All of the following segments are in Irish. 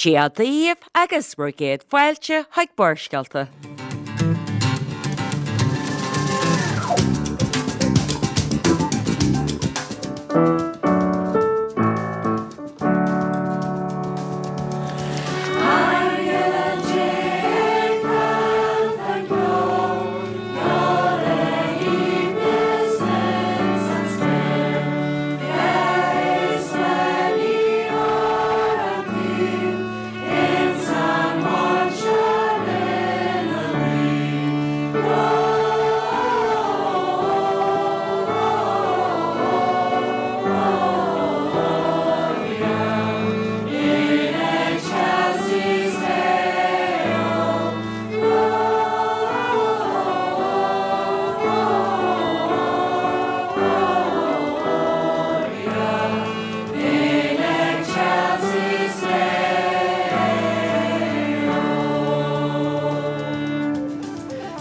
Dia daoibh agus bhur gcéad fáilte chuig Barrscéalta.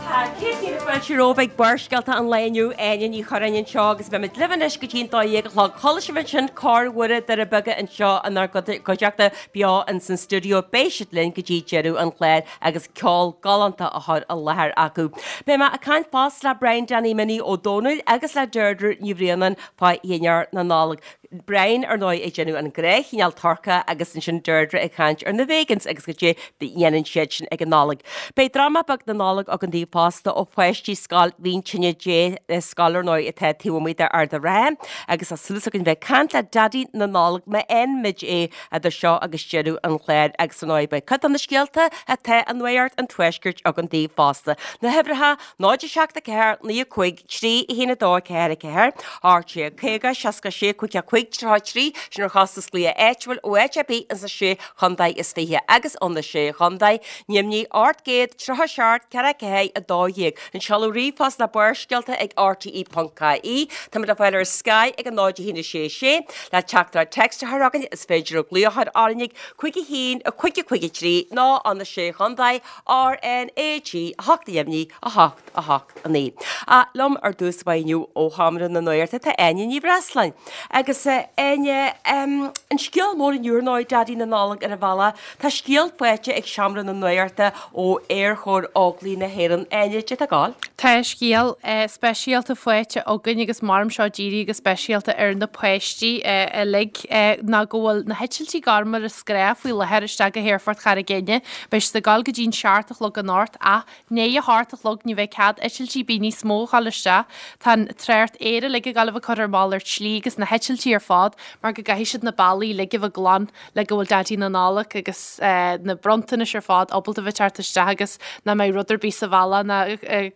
Tá 100,000 fáilte romhaibh ag Barrscéalta an lae inniu, Áine Ní Churráin anseo agus beimid libh anois go dtí an 12 a chlog. Chuala sibh ansin Cór Mhuire Doire Beaga anseo inár gcuideachta beo ins an stiúideo. Beidh siad linn go dtí deireadh an chláir agus ceol galánta á chur i láthair acu. Beidh mé ag caint fosta le Brian Danny Minnie Ó Domhnaill agus le Deirdre Ní Bhraonáin fá dhinnéar na Nollag. Brian, ar ndóigh, ag déanamh an gnáthchineál turcaí agus ansin Deirdre ag caint ar na vegans agus goidé a dhéanann siad sin ag an Nollaig. Beidh dráma beag na Nollag againn daoibh fosta ó pháistí Scoil Mhín Tine Dé, scoil ar ndóigh atá taobh amuigh d'Ard an Rátha agus tá súil againn bheith ag caint le Daidí na Nollag má fhaigheann muid é idir seo agus deireadh an chláir agus ar ndóigh beidh cuid de na scéalta atá i Nuacht an Tuaiscirt againn daoibh fosta. Na huimhreacha, 0 7 4 9 5 3 1 2 4 4, 18 50 66 5 5 33, sin ar chostas glaoch áitiúil ó áit ar bith ins na sé chontae is 20 agus ó na sé chontae, Neimnigh 837 4 4 12. An seoladh ríomhphost ná barrscéalta ag rte.ie. Táimid le fáil ar Sky ag 0 1 6 6. Le teachtaireacht text a chur chugainn is féidir glaoch a chur orainn ag 5 1 5 5 3 nó ó na sé chontae RnaG 8 neimhní 8 8 9. Ach liom ar dtús báire inniu ó Sheomra na Nuachta tá Áine Ní Bhreasláin. Agus Áine, an scéal mór inniu ar ndóigh, Daidí na Nollag ar an bhealach, tá scéal faighte ag Seomra na Nuachta ó Aerchór Óglaigh na hÉireann. Áine, goidé atá ag gabháil? Tá scéal speisialta faighte againn agus maram seo dírithe go speisialta ar na páistí uilig ná go bhfuil na heitiltí gorma ar scréach faoi láthair isteach go hAerfort Charraig Fhinne. Beidh siad ag gabháil go dtí'n seacht a chlog anocht ach i ndiaidh a hocht a chlog ní bheidh cead eitiltí ar bith níos mó a ghabháil isteach. Tá an trácht aeir uilig ag gabháil a bheith curtha ar malairt slí agus na heitiltí ar fad mar go gcaithfidh siad na bealaí uilig a bheith glan le go bhfuil Daidí na Nollag agus na bronntanais ar fad ábalta bheith teacht isteach agus nach mbeidh rud ar bith sa bhealach ná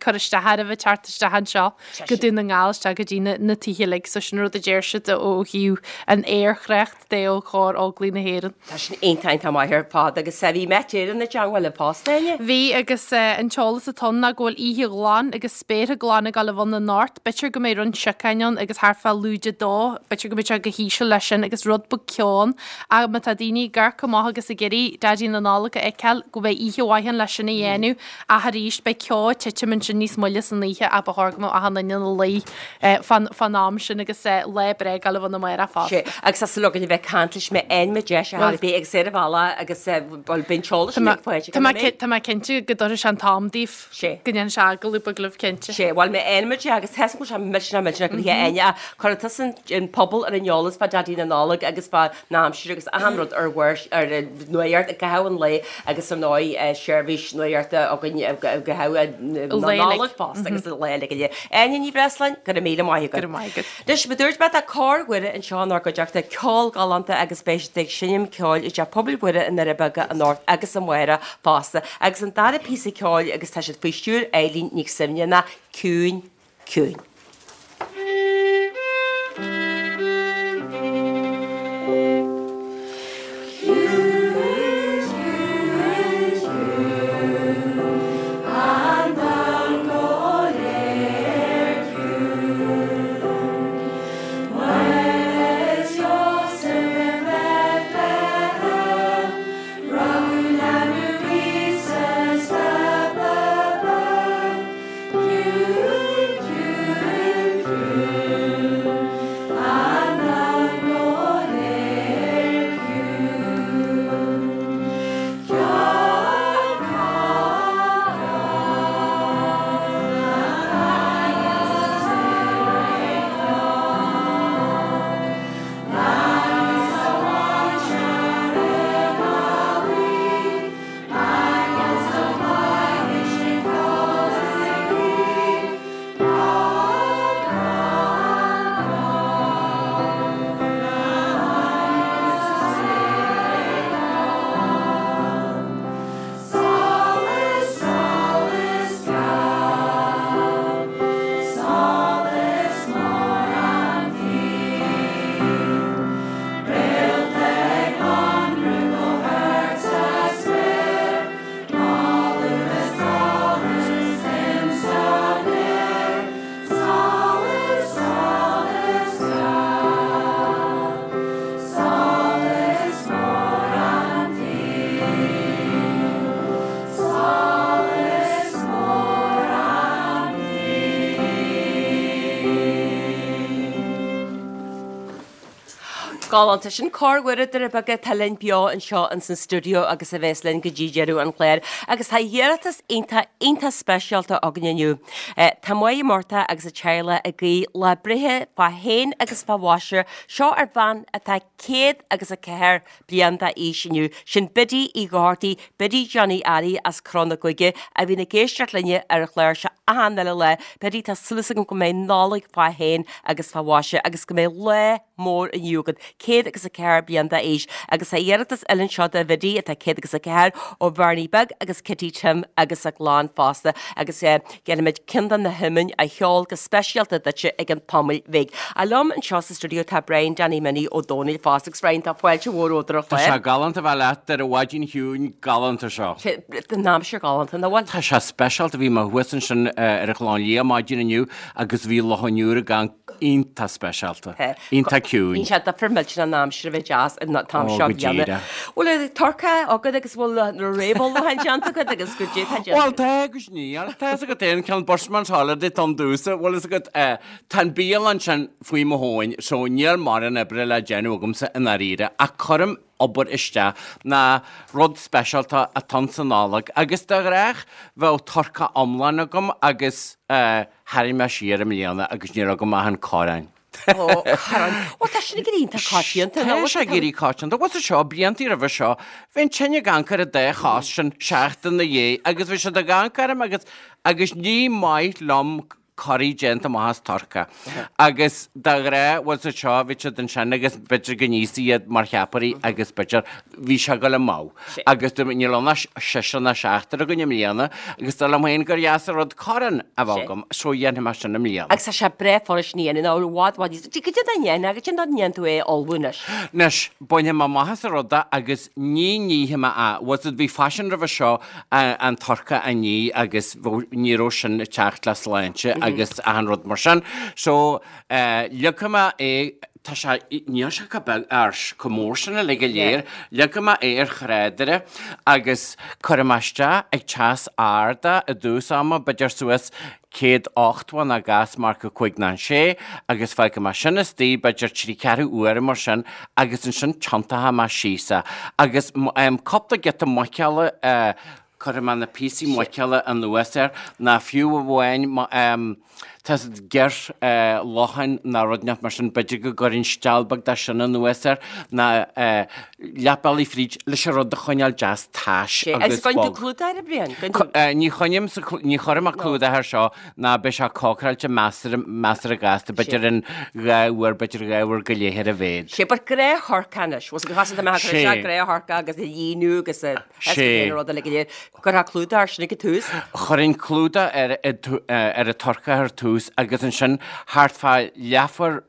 cur isteach air a bheith teacht isteach anseo go Dún na nGall isteach go dtí na tithe uilig. So sin rud a deir siad ó thaobh an aerthrácht de ó Chór Óglaigh na hÉireann. Tá sin iontach iontach maith ar fad agus bhí Met Éireann i dteangmháil libh fosta, Áine? Bhí agus an t-eolas atá ann ná go bhfuil oíche ghlan agus spéartha glana ag gabháil a bheith ann anocht. B'fhéidir go mbeidh roinnt siocáin ann agus thart fá lúide 2, b'fhéidir go mbeidh sé go híseal leis sin agus rud beag ceo ann. Ach má tá daoine ag amharc amach agus ag iarraidh Daidí na Nollag a fheiceáil, go mbeidh oíche mhaith ann leis sin a dhéanamh. Ach arís, beidh ceo ag titim ansin níos moille san oíche ach ba chóir go mbeadh achan duine ina luí fán am sin agus lá breá ag gabháil a bheith ann amárach fosta. Sea, agus tá súil againn a bheith ag caint leis má fhaigheann muid deis ar chor ar bith agus ar an bhealach agus bhuel beidh an t-eolas sin ag fáilte Tá mé cinnte go dtabharfaidh sé an t-am daoibh. Sea. Go ndéanfaidh sé agallamh beag libh cinnte. Sea, bhuel má fhaigheann muid é agus tá sé millteanach millteanach go dtí Áine ach cuirfidh tusa an pobal ar an eolas fá Daidí na Nollag agus fá na aimsir agus achan rud ar bharr ar an nuacht i gcaitheamh an lae agus ar ndóigh seirbhís nuachta againn i gcaitheamh na Nollag fosta agus an lae uilig. Áine Ní Bhreasláin, go raibh míle maith agat. Go raibh maith agat. Anois, mar a dúirt mé, tá Cór Mhuire anseo inár gcuideachta, ceol galánta agus beidh siad ag seinm ceoil i dTeach Pobail Mhuire i nDoire Beaga anocht agus amárach fosta. Agus an dara píosa ceoil agus tá siad faoi stiúir Eileen Nic Suibhne ná Ciúin, Ciúin. Galánta. Sin Cór Mhuire Doire Beaga atá linn beo anseo ins an stiúideo agus a bheas linn go dtí deireadh an chláir. Agus tá iarratas iontach, iontach speisialta againn inniu. Tá Máire Murtagh agus a teaghlach ag guí lá breithe fá shéan agus fá mhaise seo ar bhean atá 104 bliain d'aois inniu. Sin Biddy Uí Dhochartaigh, Biddy Johnny Fhearraigh as Cró na Gaoithe a bhíonn ag éisteacht linne ar an chlár seo achan uile lá. Biddy, tá súil agam go mbeidh Nollaig fá shéan agus fá mhaise agus go mbeidh lá mór inniu agat, 104 bliain d'aois. Agus tá iarratas eile anseo do Bhiddy atá 104 ó Bhernie Beag agus Kitty Tim agus a gclann fosta. Agus déanfaimid ceann de na hiomainn a cheol go speisialta duitse i gceann tamaill bhig. Ach liom anseo sa stiúideo tá Brian Danny Minnie Ó Dónaill fosta agus Brian tá fáilte mhór romhat ar an Tá sé galánta bheith leat ar an mhaidin chiúin galánta seo. Tá an aimsir galánta, nach bhfuil? Tá sé speisialta, bhí mé thuas ansin ar an Chlochán Liath maidin inniu agus bhí Loch an Iúir ag amharc iontach speisialta, iontach ciúin. Bíonn sé difear millteanach an aimsir a bheith deas an t-am seo bliana. Bhfuil an turcaí agat agus bhfuil na réamhullmhúcháin déanta agat agus goidé atá déanta? Bhuel tá agus níl. Tá fhios agat é an ceann Bushman's Holiday don dúsa, bhfuil fhios agat, tá an bialann sin faoi mo thóin so níl mórán oibre le déanamh agamsa i ndáiríre ach cuirim obair isteach ná rud speisialta atá ann sa Nollaig agus de ghnách bheadh turcaí iomlán agam agus tharraing mé siar i mbliana agus níl agam ach an corrán. Ó, corrán. Bhuel, tá sin ag éirí iontach coitianta. Tá sé ag éirí coitianta. Bhuel, seo, blianta roimhe seo, bhí an tine ag amharc ar an dá chos sin seachtain ina dhiaidh agus bhí siad ag amharc orm agus agus ní maith liom corraí déanta amach as turcaí. Agus de ghnáth, bhuel sa seo, bhí siad ansin agus b'fhéidir go n-íosfaí iad mar cheapairí agus b'fhéidir bhí sé ag dul amú. Agus dúirt mé, níl ann ach seisear ná seachtar againn i mbliana agus dar liom féin gur dheas an rud corrán a bheith agam, so dhéanfaidh mé sin i mbliana. Agus tá sé breá furast a dhéanamh, nó i bhfad, bhfad níos, goidé dá ndéanfá, goidé dá ndéanann tú é a ullmhú anois? Anois, bainfidh mé amach as an rud é agus ní nífidh mé é. Bhuel, bhí faisean roimhe seo an turcaí a ní agus ní raibh sin ag teacht le sláinte agus achan rud mar sin. So, leagfaidh mé é, tá sé, níl sé chomh beag, ar, chomh mór sin uilig go léir, leagfaidh mé é ar thrádaire agus cuirfidh mé isteach ag teas ard é i dtús ama, b'fhéidir suas 180 ná gás marca 5 ná 6 agus fágfaidh mé sin istigh b'fhéidir trí ceathrú uaire mar sin agus ansin tiontóidh mé síos é agus cúpla giota muiceola cuirfidh mé na píosaí muiceola anuas air ná fiú amháin tá siad giorr locháin ná rud inteacht mar sin b'fhéidir go gcuirfinn steall beag de sin anuas air ná leath bealaigh fríd leis an rud a choinneáil deas tais agus bog. Agus cuireann tú clúdach air, a Bhriain? Ní choinním sa, ní chuirfidh mé clúdach air seo ná beidh sé cócaráilte measartha, measartha gasta, b'fhéidir in 2 uair, b'fhéidir 2 uair go leith ar a mhéad. Sé, but gnáth-thurcaí anois, bhfuil a fhios agat, tá mé ag cur isteach gnáth-thurcaí agus a líonadh agus a Sé. rud eile go léir. Cuirfeá clúdach air sin ag an tús? Chuirfinn clúdach ar, ar an turcaí ar tús agus ansin thart fá leathuair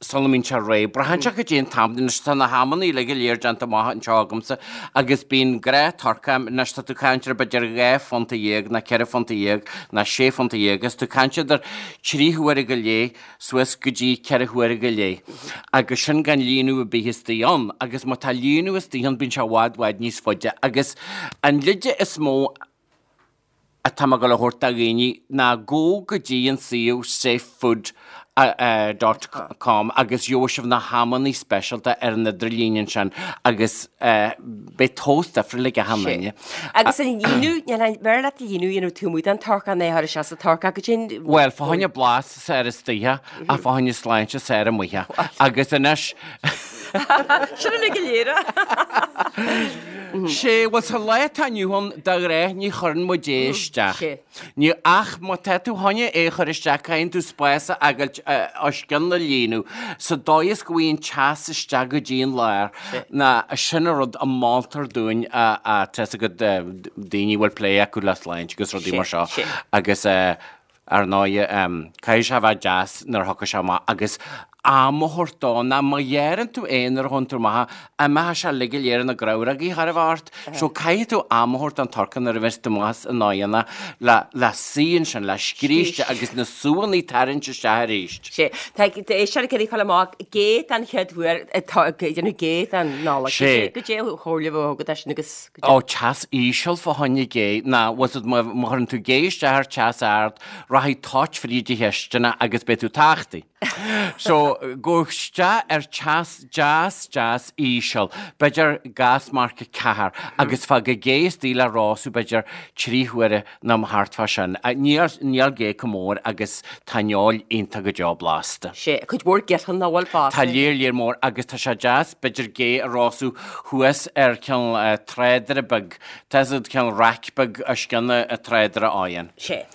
sula mbíonn sé réidh. Braitheann sé goidé an t-am, anois tá na hamanna uilig go léir déanta amach anseo agamsa agus bíonn gnáth-thurcaí, anois tá tú ag caint ar b'fhéidir 12 phunta ná 14 phunta ná 16 phunta is tú ag caint idir trí huaire go leith suas go dtí ceithre huaire go leith agus sin gan líonadh ar bith istigh ann agus má tá líonadh istigh ann bíonn sé i bhfad bhfad níos faide agus an leide is mó atá mé ag dul a thabhairt do dhaoine ná gabh go dtí an suíomh safefood dot com agus gheobhaidh sibh na hamannaí speisialta ar an idirlíon ansin agus beidh tomhas difriúil ag achan duine. Agus an líonadh, níl an, b'fhearr leat líonadh a dhéanamh taobh amuigh den turcaí ná a chur isteach sa turcaí goidé an. Bhuel, fá choinne blas is fearr istoíche ach fá choinne sláinte is fearr amuigh. Agus anois. Sin uilig go léir. Sé, bhuel sa lá atá inniu ann, de ghnáth ní chuireann muid é isteach. Ní, ach má tá tú chun é a chur isteach caithfidh tú spás a fhágáilt os cionn na líonadh sa dóigh is go bhfaighidh an teas isteach go dtí an lár ná sin an rud a moltar dúinn a, a, tá fhios agat daoine a bhfuil plé acu le sláinte agus rudaí mar seo agus Ar ndóighe, caithfidh sé a bheith deas nuair a thiocfaidh sé amach agus am a thabhairt dó, ná má ghearrann tú é nuair a ghabhann tú amach, imeoidh sé uilig go léir ina grabhrógaí chóir a bheith ort. So caithfidh tú am a thabhairt don turcaí nuair a bheas tú amach as an oigheann le, le suí ansin, le scríste agus na súanna tarraingt isteach arís. Sé, tá éisteoir ag iarraidh fáil amach gé den chéad uair atá ag déanamh gé don Nollaig. Sé. Goidé an chomhairle a bheadh agat air sin agus. Ó, teas íseal fá choinne gé, ná bhfuil fhios agat má chuireann tú gé isteach ar teas ard, rachaidh toit fríd an chistin agus beidh tú tachtaithe. So, gabh isteach ar teas deas deas íseal, b'fhéidir gas marc 4, agus fág an gé istigh le rosú b'fhéidir 3 huaire nó thart fá sin. Níl, níl gé chomh mór agus tá an fheoil iontach go deo blasta. Sé, cuid mhór girsean nach bhfuil fosta. Tá léar léar mór agus tá sé deas b'fhéidir gé a rosú thuas ar cineál trádaire beag, tá 'fhios a'd cineál raic beag os cionn an trádaire oigheann. Sé.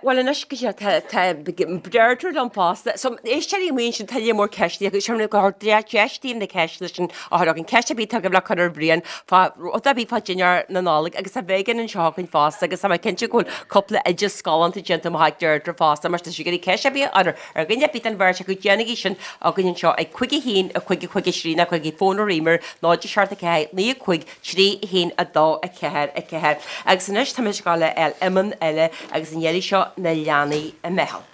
Bhuel anois go sé tá tá Deirdre liom fosta. So éisteoirí amuigh ansin tá léar mór ceisteanna acu sin go hard deis daoibh na ceisteanna sin a chur againn. Ceist ar bith atá agaibh le cur ar Bhrian fá rud ar bith fá dinnéar na Nollag agus tá Megan anseo againn fosta agus tá mé cinnte go bhfuil cúpla oideas galánta déanta amach ag Deirdre fosta mar tá sí ag iarraidh ceist ar bith a chur ar dhuine ar bith den bheirt acu déanaigí sin againn anseo ag 5 1 5 5 3 nó cuirigí fón ar ríméar 0 7 4 9 5 3 1 2 4 4. Agus anois táimid ag gabháil a fháil iomann eile agus an iarraidh seo na leanaí i mBeithil.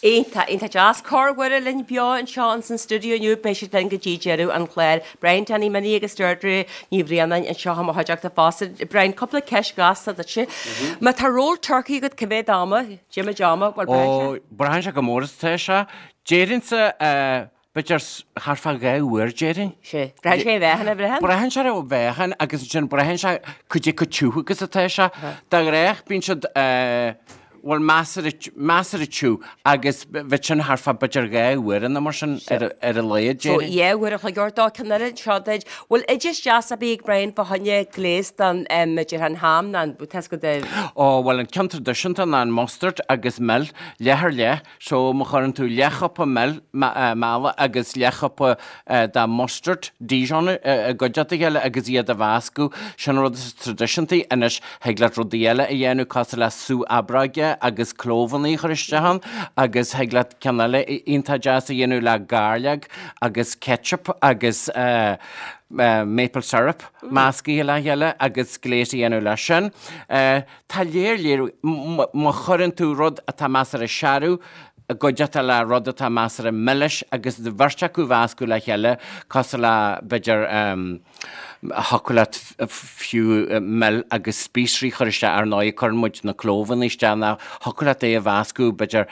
Iontach, iontach deas. Cór Mhuire linn beo anseo ins an stiúideo inniu. Beidh siad linn go dtí deireadh an chláir. Brian Danny Minnie agus Deirdre Ní Bhraonáin anseo i mo chuideachta fosta. Brian, cúpla ceist ghasta duitse. Má tá roll turcaí agat, cá mhéad ama? Jim ama, bhuel, braitheann sé. Ó, braitheann sé go mór is atá sé. Déarfainnse, b'fhéidir thart fá 2 uair, déarfainn. Sé. Braitheann sé ar mheáchan, a bhraitheann? Braitheann sé ar an mheáchan agus ansin braitheann sé cad é chomh tiubh agus atá sé. De ghnách bíonn siad, bhuel, measartha, measartha tiubh agus bheadh sin thart fá b'fhéidir 2 uair nó mar sin ar a laghad, So, déarfainn. 2 uair a chloig ort dó, ceann eile anseo duit. Bhfuil oideas deas ar bith ag Brian fá choinne gléas don, b'fhéidir an ham ná an, tá 's agat, Ó, bhuel an ceann traidisiúnta ná an mustard agus mil, leath ar leath. So, má chuireann tú leathchupa mil, meala agus leathchupa de mustard, Dijon, i gcuideachta a chéile agus iad a mheascadh, sin an rud is traidisiúntaí. Anois, thig leat rudaí eile a dhéanamh cosúil le sú aibreoige agus clóbhannaí a chur isteach ann agus thig leat ceann eile iontach deas a dhéanamh le gairleog agus ketchup agus maple syrup meascaithe le chéile agus gléas a dhéanamh leis sin. Tá léir léir, má chuireann tú rud atá measartha searbh i gcuideachta le rud atá measartha milis agus an bheirt acu a mheascadh le chéile, cosúil le, b'fhéidir, Thiocfadh leat fiú mil agus spíosraí a chur isteach, ar ndóigh cuireann muid na clóbhanna isteach nó thiocfadh leat é a mheascadh, b'fhéidir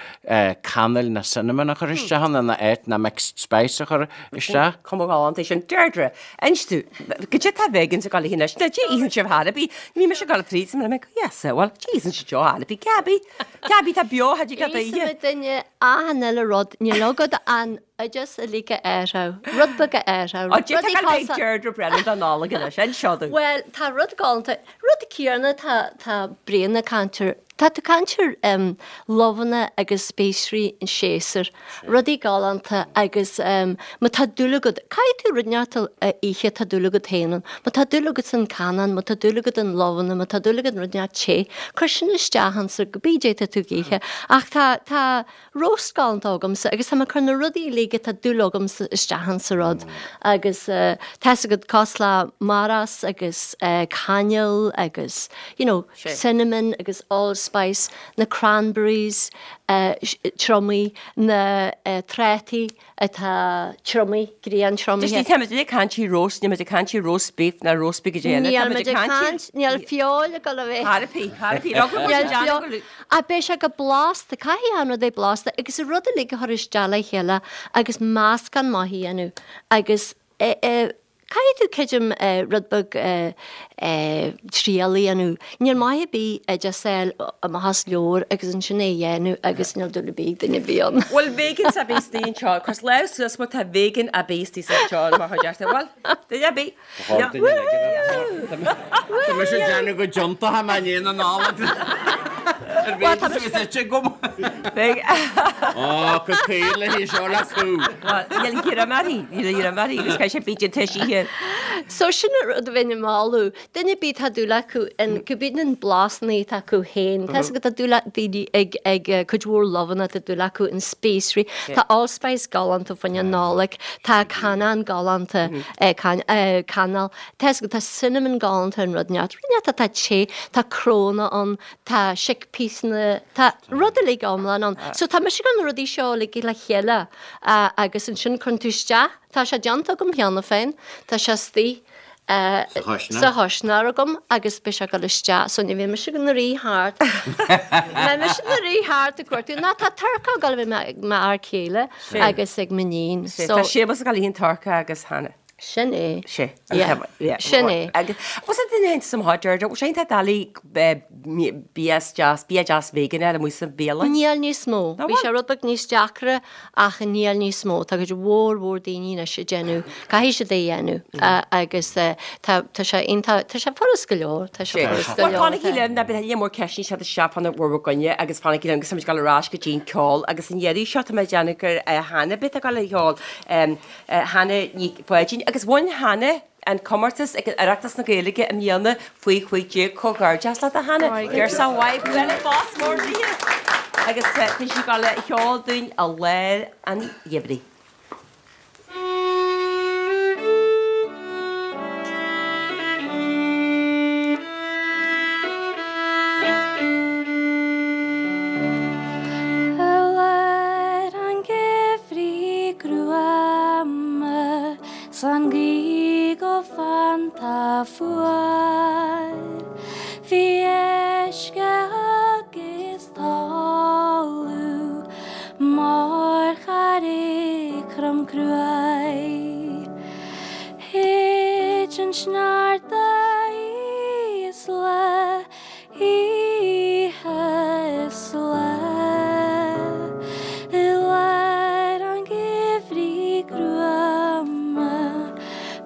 cannel nó cinnamon a chur isteach ann ina áit nó mixed spice a chur isteach. Cuma ghalánta é sin. Deirdre, inis domh, goidé tá vegans ag dul a ithe anois? Nó goidé itheann sibh chor ar bith? Ní bhí mise ag dul fríd, is mé ag yes, bhuel, goidé itheann sibh chor ar bith? Gaby, Gaby tá beo, tha dtig leat a ithe. Íosfaidh duine achan uile rud, níl agat an oideas uilig a athrú, rud beag a athrú, Ó, goidé tá ag dul ag Deirdre Brennan don Nollaig anois, inis seo domh. Bhuel, tá rud galánta, rud céanna tá, tá Brian ag caint air, tá tú ag caint ar luibheanna agus spíosraí an séasúr, rudaí galánta agus má tá dúil agat, caithfidh tú rud inteacht a ithe tá dúil agat féin ann, má tá dúil agat san canán, má tá dúil agat in luibheanna, má tá dúil agat in rud inteacht te, cuir sin isteach ann so cibé goidé tá tú ag ithe. Ach tá, tá roast galánta agamsa agus tá mé ag cur na rudaí uilig atá dúil agamsa isteach in sa rud agus tá fhios agat cosúil le maras agus cainéal agus you know cinnamon agus allspice, na cranberries triomaithe, na trátaí atá triomaithe, griantriomaithe. Just tá muid ag caint ar roast, níl muid ag caint ar roast beef ná roast beef goidé eile. Níl muid ag caint, níl feoil ag dul a bheith. Chor ar bith, chor ar bith, rug muid ag déanamh go. Ach beidh sé go blasta, caithfidh an rud a bheith blasta agus an rud uilig a chur isteach le chéile agus meascán maith a dhéanamh agus Caithfidh tú creidim rud beag triail a dhéanamh. Níl maith ar bith oideas a fháil amach as leabhar agus ansin é a dhéanamh agus níl dúil ar bith ag duine ar bith ann. Bhfuil vegans ar bith istigh anseo? Cuir lámh suas má tá vegan ar bith istigh anseo mar chuid de. Bhuel, duine ar bith. Tá mise ag déanamh go dtiontaithe mé i ndiaidh na Nollag. Ar bith is is ite agam. Ó, go caol le hí seo le cú. Bhuel, níl greim uirthi, níl greim uirthi agus caithfidh sé bídeach toisithe. So sin an rud a bheinn ag moladh. Duine ar bith tá dúil acu in, cibé na blasanna atá acu féin. Tá 'fhios agat tá dúil daoine ag ag cuid mhór luibheanna tá dúil acu in spíosraí. Tá allspice galánta fá choinne Nollag, tá canán galánta, cainéal. Tá 'fhios agat tá cinnamon galánta an rud neart. Rud neart atá te, tá cnónna ann, tá chickpeasanna, tá rud uilig iomlán ann. So tá mise ag cur na rudaí seo uilig le chéile agus ansin cuireann tú isteach, tá sé déanta agam cheana féin, tá sé istigh sa chuisneoir agam agus beidh sé ag dul isteach so ní bheidh mise ag rith thart, beidh mise ag rith thart ag cuartú, ná tá turcaí ag dul a bheith ag m'fhear céile agus ag m'iníon. So tá Séamus ag dul a ithe an turcaí agus Hannah. Sin é. Sé. Yeah. Sin é. Agus was it duine sa mhaith Deirdre, bhfuil sé iontach doiligh bia deas, bia deas vegan a fháil amuigh sa bhialann? Níl níos mó. Bhí sé rud beag níos deacra ach níl níos mó. Tá cuid mhór mhór daoine anois ag déanamh, caithfidh siad é a dhéanamh agus tá tá sé iontach, tá sé furast go leor, tá sé furast go leor. Bhuel fanaigí linn, beidh a lear mór ceisteanna ag teacht isteach fá bhur gcoinne agus fanaigí linn agus táimid ag dul ar ais go dtí an ceol agus an iarraidh seo tá mé ag déanamh gur Hannah a bheidh ag dul a cheol. Hannah Nic Pháidín agus bhain Hannah an comórtas ag Oireachtas na Gaeilge i mbliana faoi 15. Comhghairdeas leat a Hannah. Girseach mhaith, bualadh bos mór daoithe! Agus tá sí ag dul a cheol dúinn i lár an gheimhridh. I lár an gheimhridh ghruama 's an ghaoth go fanta fuar, Bhí uisce agus talamh mar charraig throm cruaidh. Thit an sneachta is lá Oíche is lá i lár an gheimhridh ghruama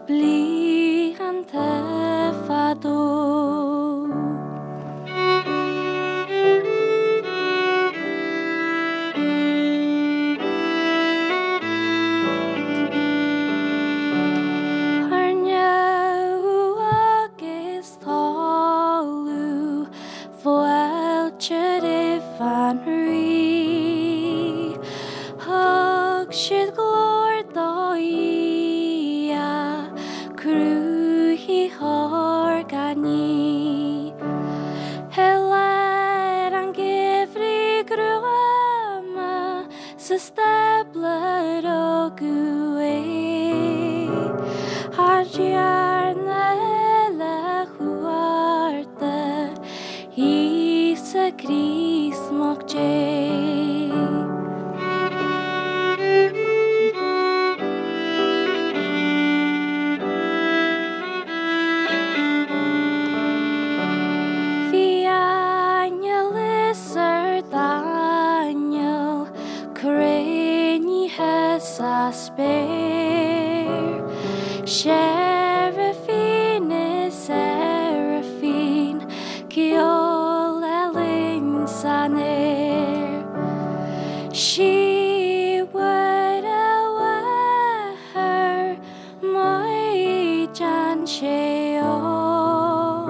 blianta fadó. Thar neamh agus talamh fáilte roimh an Rí. Thug siad glóir do Dhia, Cruthaitheoir gach ní. I lár an gheimhridh ghruama sa stábla rugadh é. Thar dearna. sa spéir. Seirifín is seirifín, ceol álainn san aer. Sí Mhuire Mháthair Maighdean óg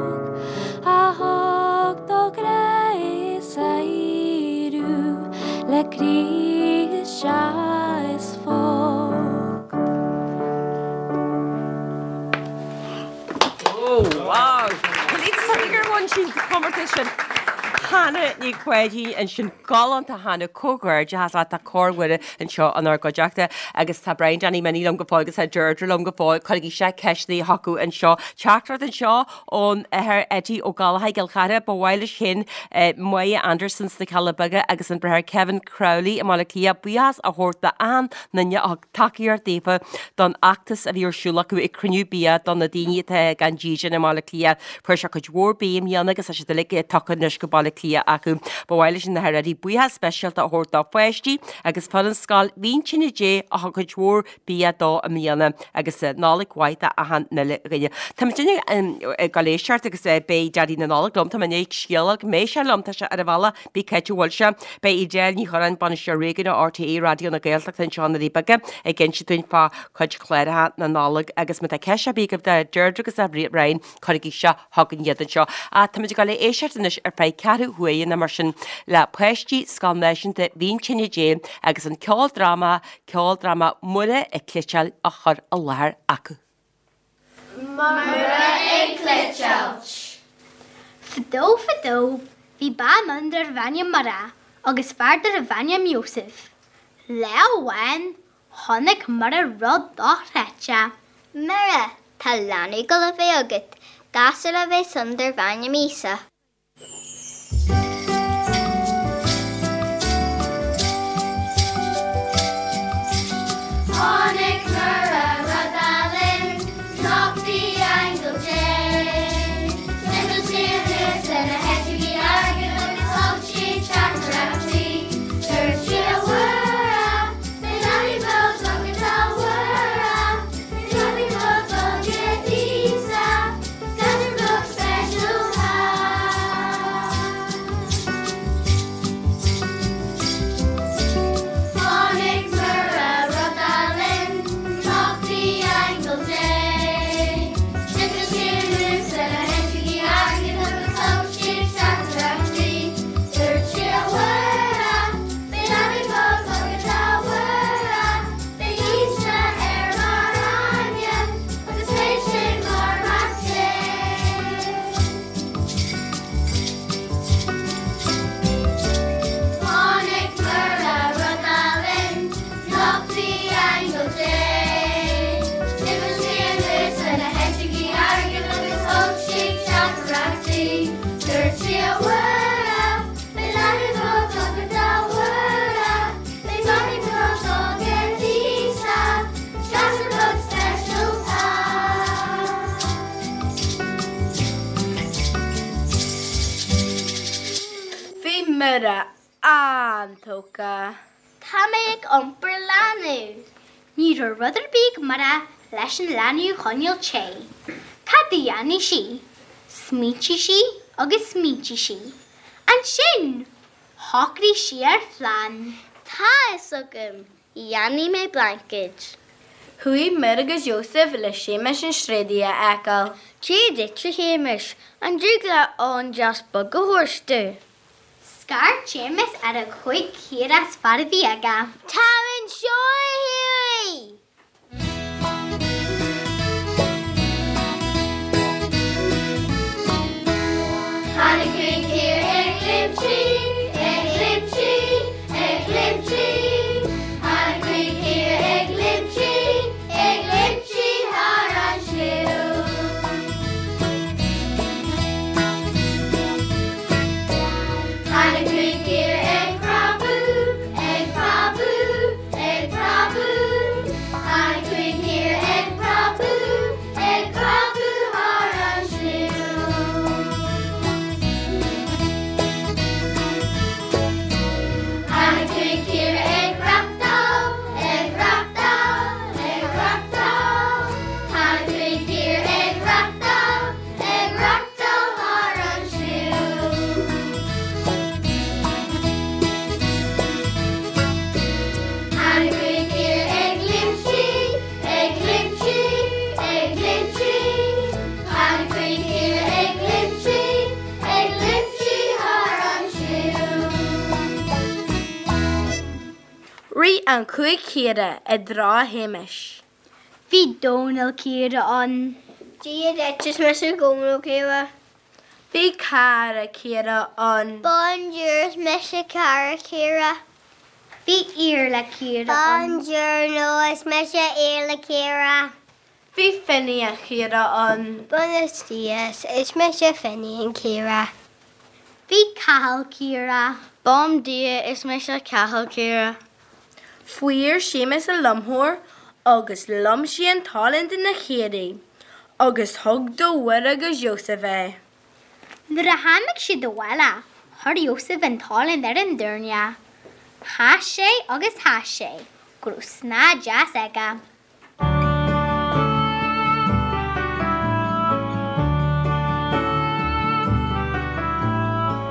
a thug do ghrá is adhradh le Críost is phóg. Oh wow! Gur bhain sí an comórtas sin. Hannah Ní Pháidín ansin galánta Hannah comhghairdeachas leat tá Cór Mhuire anseo inár gcuideachta agus tá Brian Danny Minnie liom go fóill agus tá Deirdre liom go fóill. Cuirigí isteach ceisteanna chucu anseo. Teachtaireacht anseo ón Athair Eddie Ó Gallchóir i gCill Chartha. Ba mhaith leis féin Moya Anderson sna Cealla Beaga agus an Bráthair Kevin Crowley i mBaile Átha Cliath buíochas a thabhairt d'achan duine a thug tacaíocht daofa don fheachtas a bhí ar siúl acu ag cruinniú bia do na daoine atá gan dídean i mBaile Átha Cliath. Fuair siad cuid mhór bia i mbliana agus tá siad uilig tugtha anois go Baile Átha Cliath acu. Ba mhaith leis an Athair Eddie buíochas speisialta a thabhairt dá pháistí agus foireann Scoil Mhíntíne Dé a thug cuid mhór bia dó i mbliana agus Nollaig mhaith d'achan uile dhuine. Tá muid ag dul éisteacht agus beidh Daidí na Nollag liom, tá mé i ndiaidh scéal a fháil go mbeidh sé liom, tá sé ar an bhealach, bí cá bhfuil sé. Beidh Edel Ní Churráin, Bainisteoir Réigiúnach RTÉ Raidió na Gaeltachta anseo i nDoirí Beaga ag inse dúinn fá chuid cláracha na Nollag agus má tá ceist ar bith agaibh do Deirdre agus do Brian, cuirigí isteach chugainn iad anseo. Ach táimid ag dul a éisteacht anois ar feadh ceathrú huaire nó mar sin le páistí Scoil Náisiúnta Mhín Tine Dé agus an ceoldráma, ceoldráma Muire ag Cleiteáil á chur i láthair acu. Muire ag Cleiteáilt. Fadó fadó bhí bean ann darbh ainm Muire agus fear darbh ainm Iósaf. Lá amháin chonaic Muire rud dochreidte. Muire, tá leanbh ag dul a bheith agat, gasúr a bheas ann darbh ainm Íosa. Chonaic Muire rud álainn, nocht di aingeal Dé. D'imigh sí anuas lena heiteogaí airgid agus thug sí teachtaireacht di. Dúirt sí, A Mhuire, beidh leanbh beag agat, a Mhuire, beidh leanbh beag agat, Íosa. Gasúr beag speisialta. Chonaic Muire rud álainn, nocht di aingeal Dé. D'imigh sí anuas lena heiteogaí airgid agus thug sí teachtaireacht di. Dúirt sí, A Mhuire, beidh leanbh beag agat, a Mhuire, beidh Íosa air mar ainm. Agus beidh sé mar Mhac Dé. Chonaic Muire rud álainn, nocht di aingeal Dé. D'imigh sí anuas lena heiteogaí airgid agus thug sí teachtaireacht di. Dúirt sí, A Mhuire, beidh leanbh beag agat, a Mhuire, beidh leanbh beag agat, Íosa. Gasúr beag speisialta. Bhí Muire an-tógtha. Tá mé ag iompar leanbh. Ní raibh rud ar bith ag Muire leis an leanbh a choinneáil te. Cad a dhéanfadh sí? Smaointigh sí agus smaointigh sí. Ansin, shocraigh sí ar phlean. Tá a fhios agam! Dhéanfaidh mé blaincéid. Chuaigh Muire agus Iósaef le Séamus an Sréadaí a fheiceáil. Dia duit, a Shéamais, an dtig leat olann deas bog a thabhairt domh? Scairt Séamus ar a chuid caora is fearr a bhí aige. Táim anseo, a chaoirigh! Tháinig cúig chaora ag léimtí, ag léimtí, ag léimtí. Tháinig cúig chaora ag léimtí, ag léimtí thar an sliabh. Tháinig cúig chaora ag preabadh, ag preabadh, ag preabadh. an chúig chaora i dtreo Shéamais. Bhí Dónal Ciara ann. Dia duit, is mise Dónal Ciara. Bhí Cara Ciara ann. Bonjour, is mise Cara Ciara. Bhí Iarla Ciara ann. Buongiorno, is mise Iarla Ciara. Bhí Finian Ciara ann. Buenos días, is mise Finian Ciara. Bhí Cathal Ciara. Bom dia, is mise Cathal Ciara. Fuair Séamus an lomthóir agus lom sé an t-oileán de na caoirigh agus thug do Mhuire agus Iósaf é. Nuair a tháinig siad abhaile, chuir Iósaf an t-olann ar an doirne. Sheas sé agus sheas sé go raibh snáth deas aige.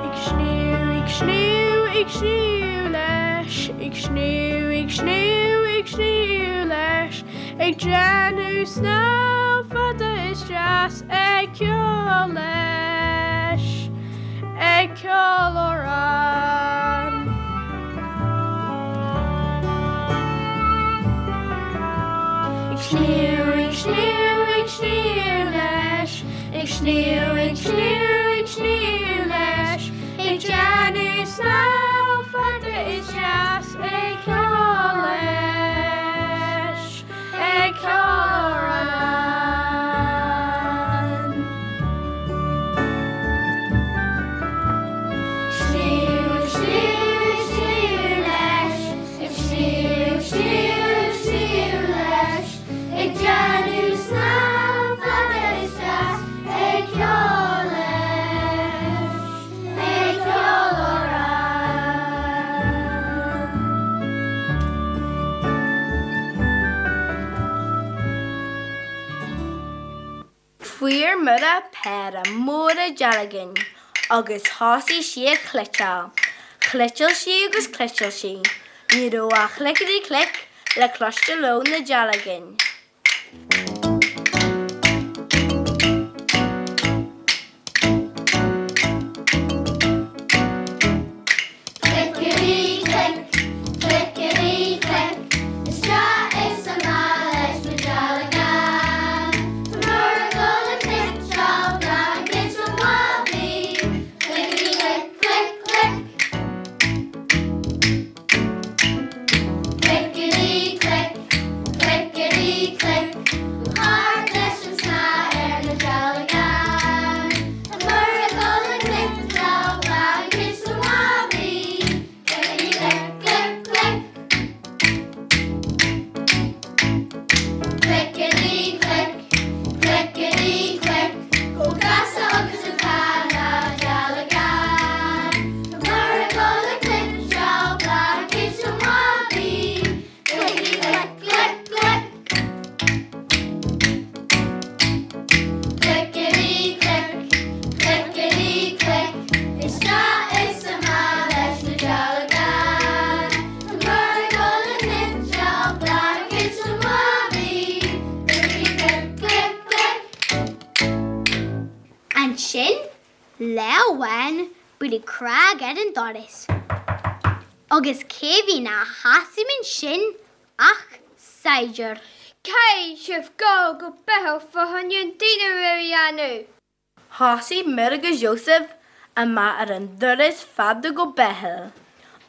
Ag sníomh, ag sníomh, ag sníomh leis, ag sníomh, ag sníomh, ag sníomh leis, ag déanamh snámh fada is deas, ag ceol leis, ag ceol amhrán. Ag sníomh, ag sníomh, ag sníomh leis, ag sníomh, ag sníomh, ag sníomh leis, ag déanamh snámh fada is deas, ag ceol leis, ag ceol amhrán. Sníomh, ag sníomh, ag sníomh leis, ag sníomh, ag sníomh, ag sníomh leis, ag déanamh snámh fada is deas, ag ceol leis, ag ceol amhrán. Fuair Muire péire móra dealgán agus thosaigh sí ag cleiteáil. Chleiteáil sí agus chleiteáil sí. Ní raibh ach clickety click le cloisteáil ó na dealgáin. Clickety click, clickety click, isteach is amach leis na dealgáin. Tá Muire ag dul ag cniotáil blainkéid do Mhamaí. Clickety click, click, click. Clickety click, clickety click, go hard leis an snáth ar na dealgáin. Tá Muire ag dul ag cniotáil blainkéid do Mhamaí. Clickety click, click, click. Clickety click, clickety click, chomh gasta agus atá na dealgáin. Tá Muire ag dul ag cniotáil blainkéid do Mhamaí. Clickety click, click, click. Clickety click, clickety click, isteach is amach leis na dealgáin. Tá Muire ag dul ag cniotáil blainkéid do Mhamaí. Clickety click, click, click. Ansin, lá amháin, buaileadh cnag ar an doras. Agus cé bhí ina sheasamh ansin ach saighdiúir. Caithfidh sibh dul go Beithil fá choinne an dinnéar a dhéanamh. Thosaigh Muire agus Iósaf amach ar an dturas fada go Beithil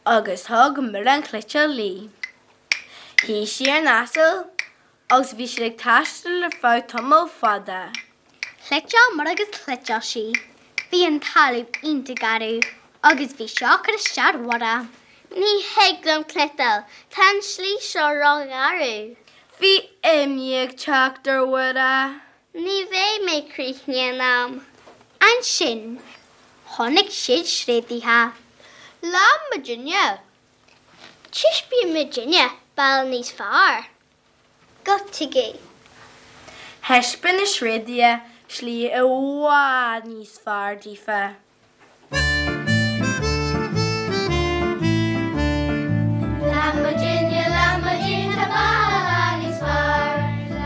agus thug Muire an chliotáil léi. Shuigh sí ar an asal agus bhí siad ag taisteal ar feadh tamall fada. Chliotáil Muire agus chliotáil sí. Bhí an talamh iontach garbh agus bhí seo ag cur isteach ar Mhuire. Ní thig liom cniotáil, tá an slí seo ró-gharbh. Bhí imní ag teacht ar Mhuire. Ní bheidh mé críochnaithe in am. Ansin, chonaic siad tréadaithe. Lean muidinne. Taispeánfaidh muidinne bealach níos fearr. Go dtuige. Thaispeáin na tréadaithe slí i bhfad níos fearr daofa. Lean muidinne, lean muidinne, tá bealach níos fearr.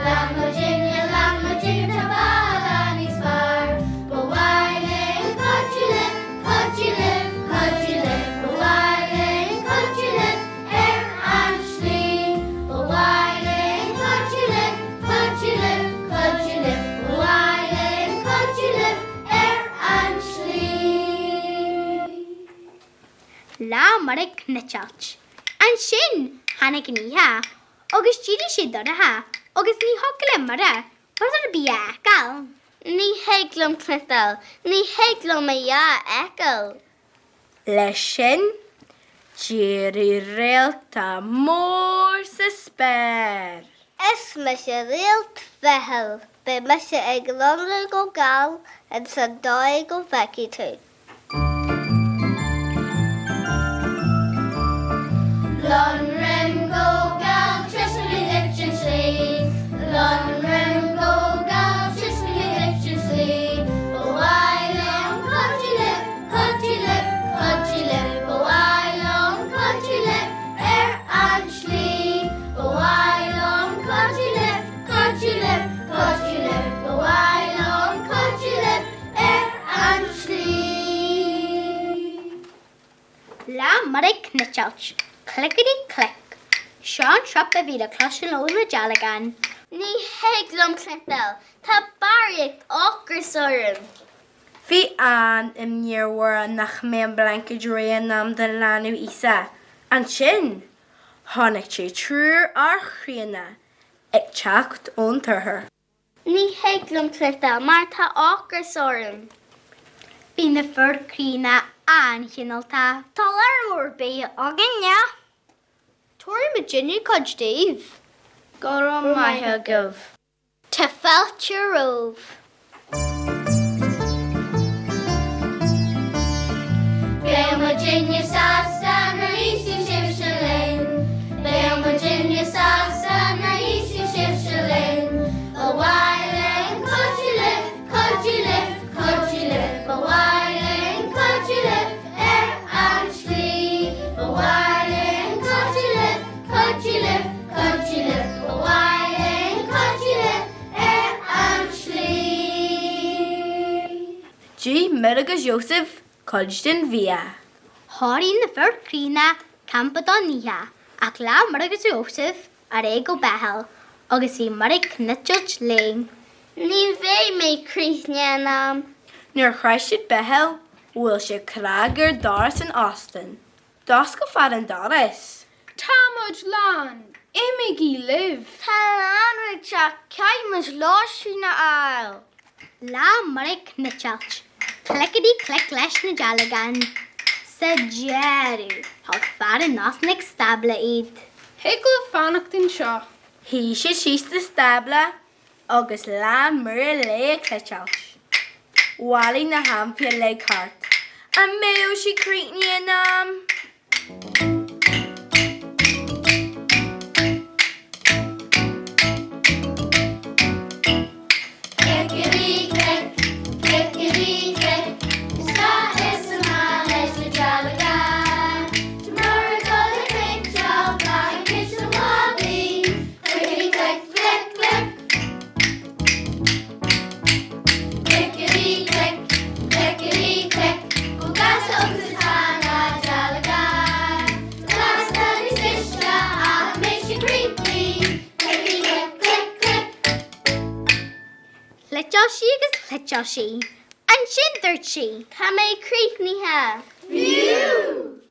Lean muidinne, lean muidinne, tá bealach níos fearr. Ba mhaith linn cuidiú libh, cuidiú libh, cuidiú libh. Ba mhaith linn cuidiú libh ar an slí. Muire ag cniotáilt. Ansin tháinig an oíche agus d'éirigh sé dorcha agus ní thiocfadh le Muire rud ar bith a fheiceáil. Ní thig liom cniotáil, ní thig liom a dhath a fheiceáil. Leis sin, d'éirigh réalta mór sa spéir. Is mise réalt Bheithil, beidh mise ag lonradh go geal ins an dóigh go bhfeicfidh tú. Lonraim go geal trasna duit an tslí, Lonraim go geal trasna duit an tslí, Ba mhaith liom cuidiú libh, cuidiú libh, cuidiú libh, Ba mhaith liom cuidiú libh ar an tslí, Ba mhaith liom cuidiú libh, cuidiú libh, cuidiú libh, Ba mhaith liom cuidiú libh ar an tslí. Lean Muire ag cniotáilt. Clickety click. Seo an trup a bhí le cloisteáil ó na dealgáin. Ní thig liom cniotáil, tá barraíocht ocrais orm. Bhí an-imní ar Mhuire nach mbeadh an blaincéid réidh in am don leanbh Íosa. Ansin, chonaic sí triúr fhear chríonna ag teacht ón t-oirthear. Ní thig liom cniotáil mar tá ocras orm. Bhí na fir críonna an-chineálta. Tá lear mór bia againne. Tabharfaidh muidinne cuid daoibh. Go raibh maith agaibh. Tá fáilte romhaibh. Beidh muidinne sásta nuair a íosfaidh sibhse linn. Beidh muidinne sásta nuair a íosfaidh sibhse linn. Ba mhaith linn cuidiú libh, cuidiú libh, cuidiú libh. Ba mhaith linn cuidiú libh ar an tslí. Ba mhaith linn cuidiú libh, cuidiú libh, cuidiú libh. Ba mhaith linn cuidiú libh ar an tslí. D'ith Muire agus Iósaef cuid den bhia. Chóirigh na fir chríonna campa don oíche, ach lean Muire agus Iósaef ar aghaidh go Beithil, agus bhí Muire ag cniotáilt léi. Ní bheidh mé críochnaithe in am. Nuair a shroich siad Beithil, bhuail siad cnag ar doras an óstáin. D'oscail fear an doras. Tá muid lán! Imígí libh! Tá an leanbh ag teacht, caithfidh muid lóistín a fháil! Lean Muire ag cniotáilt. Clickety click leis na dealgáin. Sa deireadh, thug fear an óstáin ag stábla iad. Thig libh fanacht anseo. Shuigh siad síos sa stábla agus lean Muire léi ag cniotáilt. Bhailigh na hainmhithe uilig thart. An mbeadh sí críochnaithe in am? Clickety click, clickety click, isteach is amach leis na dealgáin. Tá Muire ag dul a chniotáil blaincéid don bhabaí. Clickety click, click, click. Clickety click, clickety click, chomh gasta agus atá na dealgáin. Tá lasta níos cliste ach an mbeidh sí críochnaithe? Clickety click, click, click. Chniotáil sí agus chniotáil sí. Ansin dúirt sí. Tá mé críochnaithe. Phew!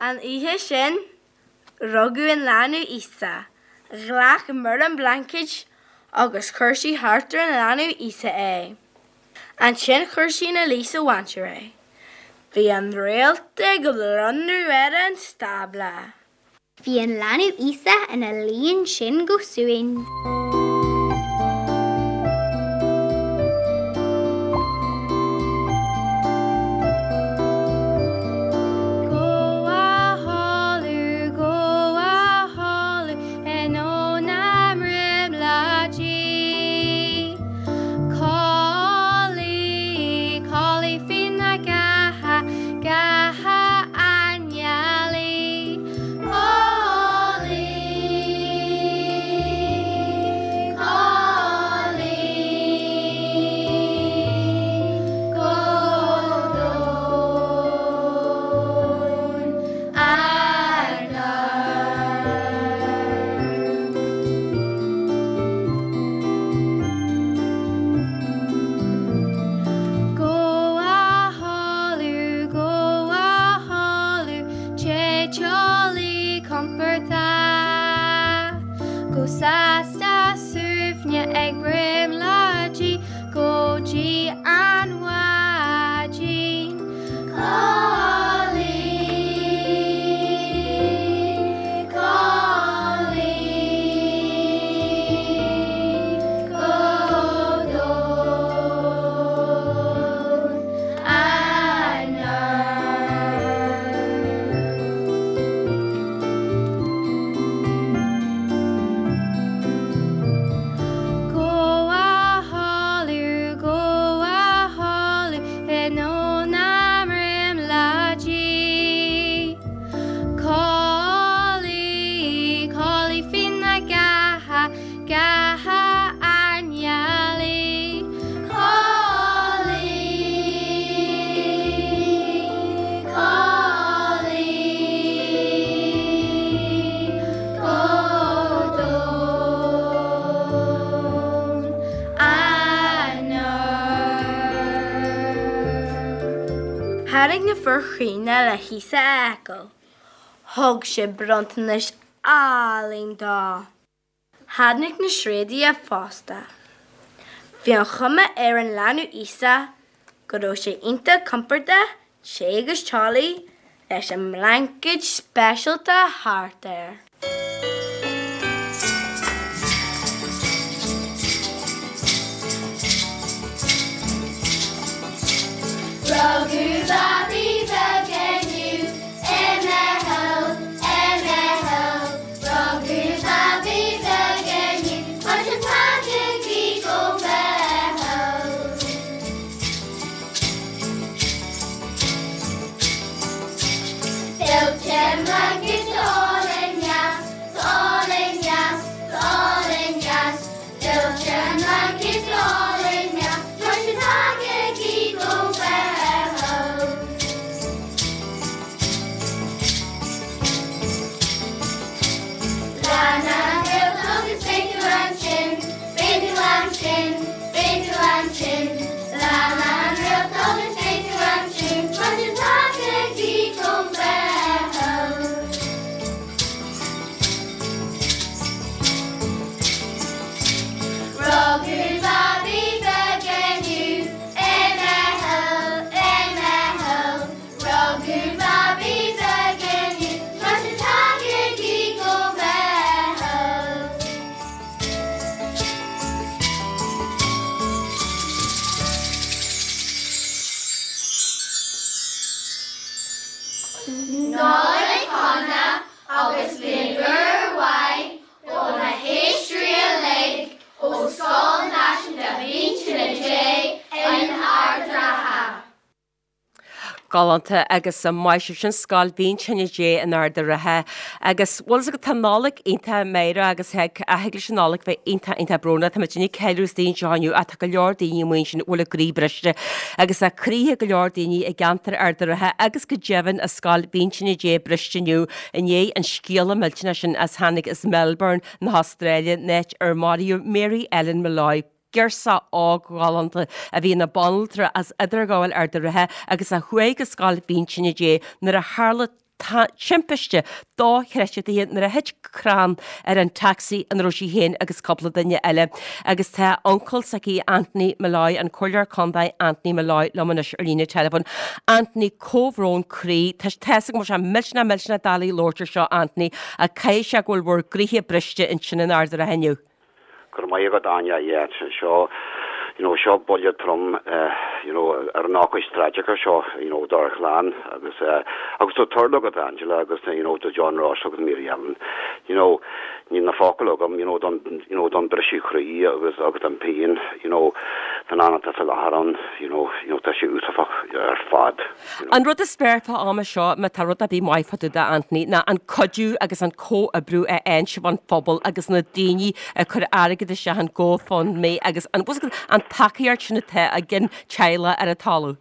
An oíche sin, rugadh an leanbh Íosa. Ghlac Muire an blaincéid agus chuir sí thart ar an leanbh Íosa é. Ansin chuir sí ina luí sa mhainséar é. Bhí an réalta ag lonradh ar an stábla. Bhí an leanbh Íosa ina luí ansin go suain. Go a chodladh, go a chodladh in ó na mbrionglóidí. Codlaigh, codlaigh faoi na gceatha, gceatha an ngealaí. Codlaigh. Sásta suaimhneach ag brionglóidí go dtí an mhaidin. Codlaigh, codlaigh go domhain anonn. Gabh a chodladh, gabh a chodladh i ndomhan na mbrionglóidí. Codlaigh, codlaigh faoi na gceatha, ceatha ár ngealaí. Codlaigh, codlaigh go domhain anonn. Tháinig na fir chríonna le hÍosa a fheiceáil. Thug siad bronntanais álainn dó. Tháinig na tréadaithe fosta. Bhí an chuma ar an leanbh Íosa go raibh sé iontach compordach te agus teolaí leis an mblaincéad speisialta thart air. Rugadh babaí beag inniu i mBeithil, i mBeithil. Rugadh babaí beag inniu, mar sin tagaigí go Beithil. Filltear mblaincéad álainn dheas, álainn dheas, álainn dheas. Filltear mblaincéad álainn dheas, mar sin tagaigí go Beithil. Lean an réalt agus beidh tú ansin, beidh tú ansin, beidh tú ansin. Lean an réalt agus beidh tú ansin, mar sin tagaigí go Beithil. Rugadh babaí beag inniu i mBeithil, i mBeithil. Rugadh babaí beag inniu, mar sin tagaigí go Beithil. Nollaig shona agus bliain úr mhaith ó na héisteoirí uilig ó Scoil Náisiúnta Mhín Tine Dé in Ard an Rátha. Galánta agus maith sibh sin Scoil Mhín Tine Dé in Ard an Rátha agus bhfuil fhios agat tá Nollaig iontach meidhreach agus thig thig leis an Nollaig bheith iontach iontach brónach. Tá muid ag ceiliúradh istigh anseo inniu ach tá go leor daoine amuigh ansin a bhfuil a gcroí briste agus tá croíthe go leor daoine i gceantar Ard an Rátha agus go deimhin i Scoil Mhín Tine Dé briste inniu i ndiaidh an scéala millteanach sin as tháinig as Melbourne na hAstráile, an áit ar maraíodh Mary Ellen Molloy. Girseach óg ghalánta a bhí ina banaltra as Idirghabháil Ard an Rátha agus a chuaigh go Scoil Mhín Tine Dé nuair a tharla timpiste dochreidte nuair a thit crann ar an taxi ina raibh sí féin agus cúpla duine eile. Agus tá uncail s'aici, Anthony Molloy, an Comhairleoir Contae Anthony Molloy liom anois ar líne teileafóin. Anthony, comhbhrón croí. Tá tá's agam go bhfuil sé millteanach millteanach doiligh labhairt ar seo Anthony ach caithfidh sé go bhfuil bhur gcroíthe briste ansin in Ard an Rátha inniu. Go raibh maith agat Áine, yeah seo you know seo buille trom you know ar an ócáid traigiceach seo you know dár chlann agus eh agus do Turlough agus Angela agus you know do John Ross agus Mary Ellen you know níl na focail agam you know don you know don briseadh croí agus agus an pian you know don am atá sa láthair ann you know you know tá sé uafásach ar fad. An rud is fearr fá am seo, má tá rud ar bith maith fá dtaobh de, Anthony, ná an cuidiú agus an comhoibriú a fhaigheann sibh ón phobal agus na daoine ag cur airgead isteach in GoFundMe agus an, an tacaíocht sin atá ag an teaghlach ar an talamh.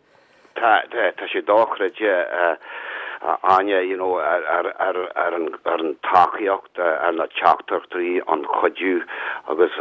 Tá, tá, tá sé dochreidte. Áine, you know, ar, ar, ar an, ar an tacaíocht, ar na teachtaireachtaí, an cuidiú agus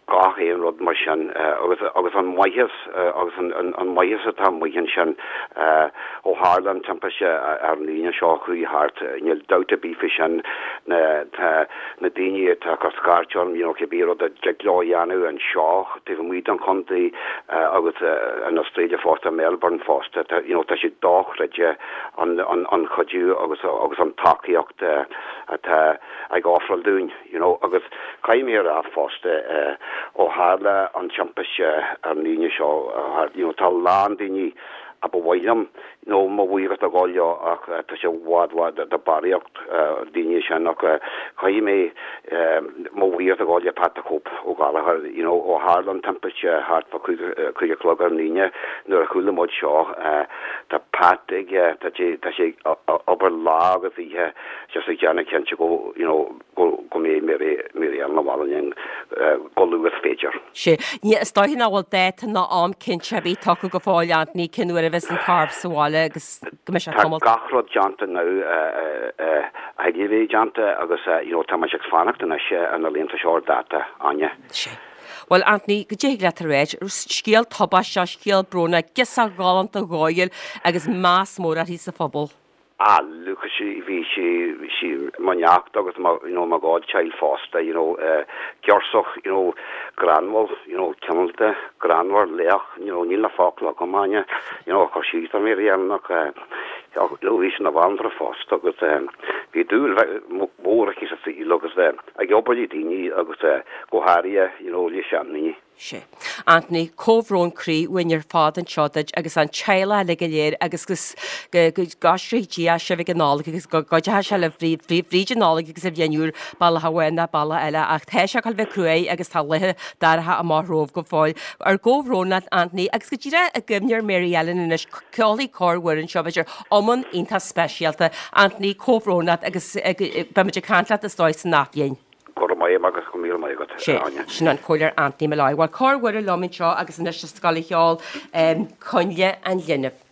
gach aon rud mar sin agus, agus an maitheas agus an, an, an maitheas atá amuigh ansin ó tharla an timpiste ar an Aoine seo chuaigh thart, níl dabht ar bith faoi sin, na, tá na daoine atá ag cur scairt orm, you know, cibé rud a dtig leo a dhéanamh anseo taobh amuigh den chontae agus in Australia fosta, Melbourne fosta, tá, you know, tá sé dochreidte an, an, an cuidiú agus, agus an tacaíocht atá ag ofráil dúinn, you know, agus caithfidh mé a rá fosta ó tharla an timpiste ar an Aoine seo, you know, tá a lán daoine a ba mhaith liom nó mo bhuíochas a ghabháil leo ach tá sé i bhfad bhfad de barraíocht daoine sin ach caithfidh mé mo bhuíochas a ghabháil le Pat the Cope Ó Gallchóir you know ó tharla an timpiste thart fá 5 a chlog ar an Aoine nuair a chuala muid seo tá Pat ag tá sé tá sé ag obair lá agus oíche just ag déanamh cinnte go you know go go mbeidh Mary Mary Ellen abhaile linn chomh luath is féidir. Sea. Ní, is dóiche nach bhfuil dáta ná am cinnte ar bith tugtha go fóill, Anthony, cén uair a bheas an corp sa bhaile agus go mbeidh sé Tá tamall. gach rud déanta now a thig a bheith déanta agus you know tá muid ag fanacht anois ar na laethanta seo ar dáta, Áine. Sea. Bhuel, Anthony, goidé a thig leat a ráit, scéal tubaisteach, scéal brónach, girseach ghalánta dhóighiúil agus meas mór uirthi sa phobal. Ah look sí bhí sí bhí sí mo neacht agus mo you know mo godchild fosta you know eh girseach you know greannmhar you know cineálta greannmhar lách you know níl na focla agam Áine you know a chur síos ar Mary Ellen ach eh you know bhí sí ina bhanaltra fosta agus eh bhí dúil mhór aici sa saol agus eh ag obair le daoine agus eh go háirithe you know le seandaoine. Sea. Anthony, comhbhrón croí uainn ar fad anseo duit agus an teaghlach uilig go léir agus go gcoisricfidh Dia sibh ag an Nollaig agus go gcuideoidh sé libh fríd an Nollaig agus an Bhliain Úr, bealach amháin nó bealach eile. Ach tá sé ag dul bheith cruaidh agus tá laetha dorcha amach romhaibh go fóill. Ár gcomhbhrón leat Anthony agus go díreach i gcuimhne ar Mary Ellen anois, ceolfaidh Cór Mhuire anseo b'fhéidir iomann iontach speisialta. Anthony, comhbhrón leat agus beimid ag caint leat is dóigh san athbhliain. Go raibh maith agus go míle maith agat, Sé, Áine. sin an Comhairleoir Anthony Molloy. Bhuel, Cór Mhuire liom anseo agus anois sa scoil a cheol Coinnle an Linbh.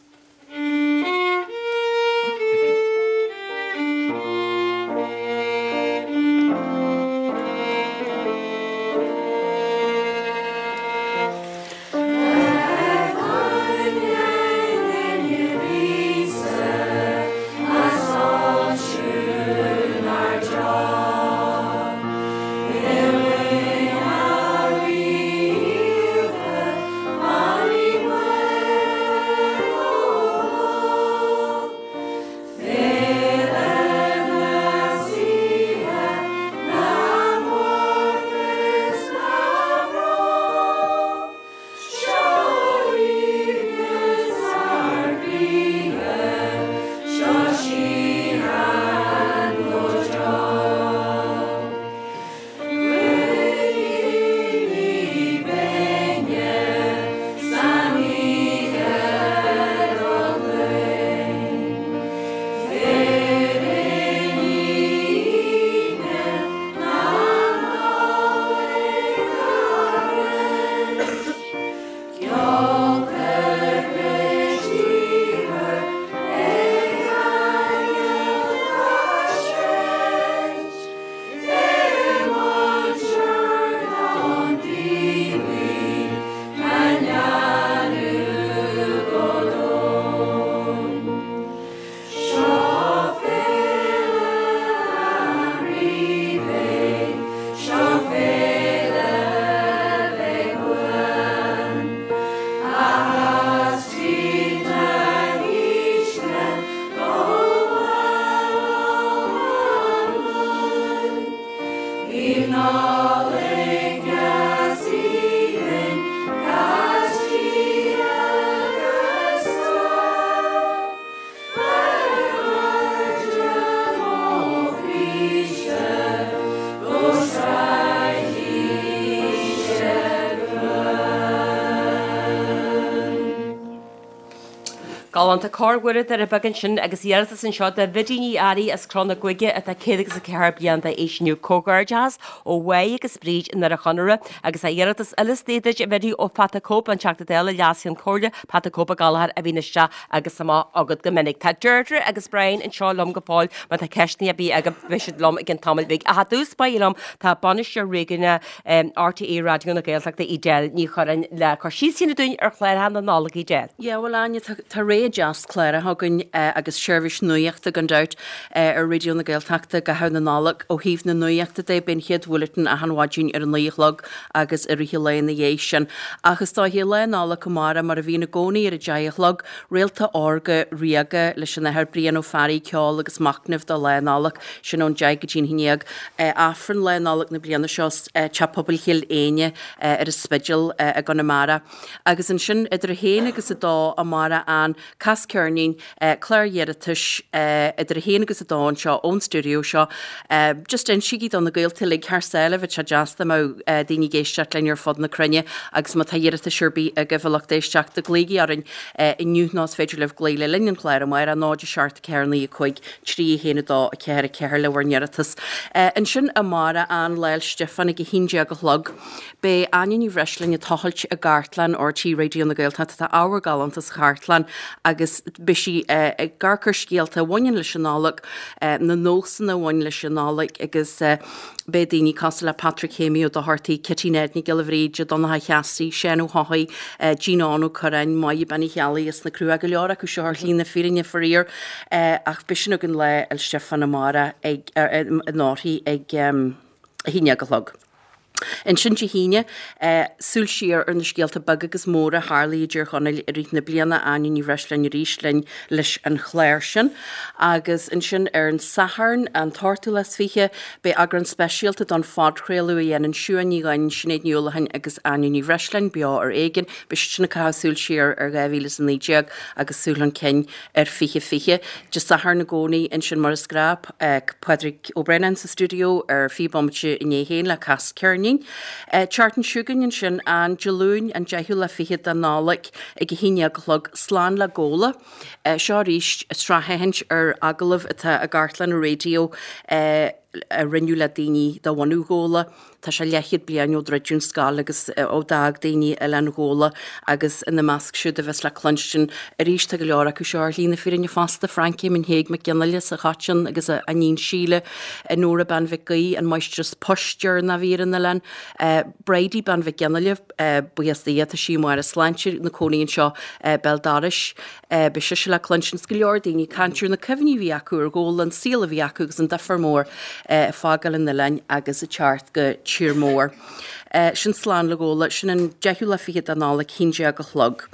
Galánta Cór Mhuire Doire Beaga ansin agus iarratas anseo do Bhidí Ní Fhearraigh as Cró na Gaoithe atá 104 bliain d'aois inniu. Comhghairdeachas ó Mháire agus Bríd i nDoire Chonaire agus tá iarratas eile istigh duit a Bhidí ó Phata Cope, an Teachta Dála, Leas-Cheann Comhairle, Pata Cope Ó Gallchóir a bhíonn isteach agus amach agat go minic. Tá Deirdre agus Brian anseo liom go fóill má tá ceisteanna ar bith agaibh beidh siad liom i gcionn tamaill bhig. Ach i dtús báire liom tá Bainisteoir Réigiúnach RTÉ Raidió na Gaeltachta Edel Ní Churráin le cur síos a dhéanamh dúinn ar chláracha na Nollag Edel. Yeah, bhuel Áine, tá tá rogha deas cláracha againn agus seirbhís nuachta gan dabht ar Raidió na Gaeltachta i gcaitheamh na Nollag. Ó thaobh na nuachta de, beidh an chéad bhulletin achan mhaidin ar a 9 a chlog agus i rith an lae ina dhiaidh sin. Ach is dóiche, Lá Nollag amárach, mar a bhíonn i gcónaí ar a 10 a chlog, Réalta Órga Ríoga leis an Athair Brian Ó Fearraigh, ceol agus machnamh do Lá Nollag, sin ón 10 go dtí an 11. Aifreann Lá Nollag na bliana seo, Teach Pobail Chill Éinne ar an Spidéal i gConamara. Agus ansin idir a haon agus a dó amárach an Cas Ceirnín, Clár iarratais idir a haon agus a dó anseo ón stiúideo seo. Just insígí do na gaolta uilig thar sáile, bheadh sé deas dá mbeadh daoine ag éisteacht linn ar fud na cruinne agus má tá iarratais ar bith agaibh a lucht éisteachta, glaoigí orainn inniu nó is féidir libh glaoch le linn an chláir amárach, 0 7 4 9 5 3 1 2 4 4 le bhur n-iarratas. Ansin amárach an Lá 'le Stiofáin ag 11 a chlog. Beidh Áine Ní Bhreisleáin ag tochailt i gcartlann RTÉ Raidió na Gaeltachta. Tá ábhar galánta sa chartlann agus beidh sí ag amharc ar scéalta a bhaineann leis an Nollaig, na nósanna a bhain leis an Nollaig agus beidh daoine cosúil le Patrick Shéamaí Ó Dochartaigh, Kitty Ned Nic Giolla Bhríde, Donncha Cheasaigh, Seán Ó hEochaidh, Jean Ó Curráin, Máire Bean Uí Cheallaigh as na Cruacha, go leor acu seo ar shlí na fírinne faraor ach beidh sin againn Lá 'le Stiofáin amárach ag, in Órthaí ag 11 a chlog. Ansin Dé hAoine, súil siar ar na scéalta beaga agus móra a tharlaigh i dTír Chonaill i rith na bliana, Áine Ní Bhreisleáin arís linn leis an chlár sin. Agus ansin ar an Satharn, an t-ochtú lá is 20, beidh eagrán speisialta don phodchraoladh a dhéanann Siuán Ní Dhuinn, Sinéad Ní Uallacháin agus Áine Ní Bhreisleáin, Beo ar Éigean. Beidh siad sin ag caitheamh súil siar ar 2019 agus súil chun cinn ar 2020. Dé Sathairn i gcónaí ansin mar is gnách, Pádraig Ó Braonáin sa stiúideo ar 20 bomaite i ndiaidh a haon le Cas Ceirnín. An tseachtain seo chugainn ansin, an Dé Luain an 10ú lá fichead de Nollaig ag a haon déag a chlog, Slán le Gabhla. Seo arís sraithfhéachaint ar agallaimh atá i gcartlann an raidió a rinneadh le daoine de bhunadh Ghabhla. Tá sé leathchéad bliain ó druideadh an scoil agus ó d'fhág daoine Oileán Ghabhla agus ina measc siúd a bheas le cluinstin arís tá go leor acu seo ar shlí na fírinne fosta, Francie Éamoinn Thaidhg Mac Fhionnghaile as an Choiteann agus a iníon Síle, Nóra Bean Mhic Aoidh, an máistreas poist deireanach a bhí ar an oileán, Bridie Bean Mhic Fhionnghaile, buíochas do Dhia tá sí i mbarr a sláinte, ina cónaí anseo béal dorais. Beidh sise le cluinstin is go leor daoine ag caint ar na cuimhní a bhí acu ar Ghabhla, an saol a bhí acu agus an difear mór ag fágáil an oileáin agus ag teacht go tír mór. Sin Slán le Gabhla, sin an deichiú lá fichead de Nollaig, 11 a chlog.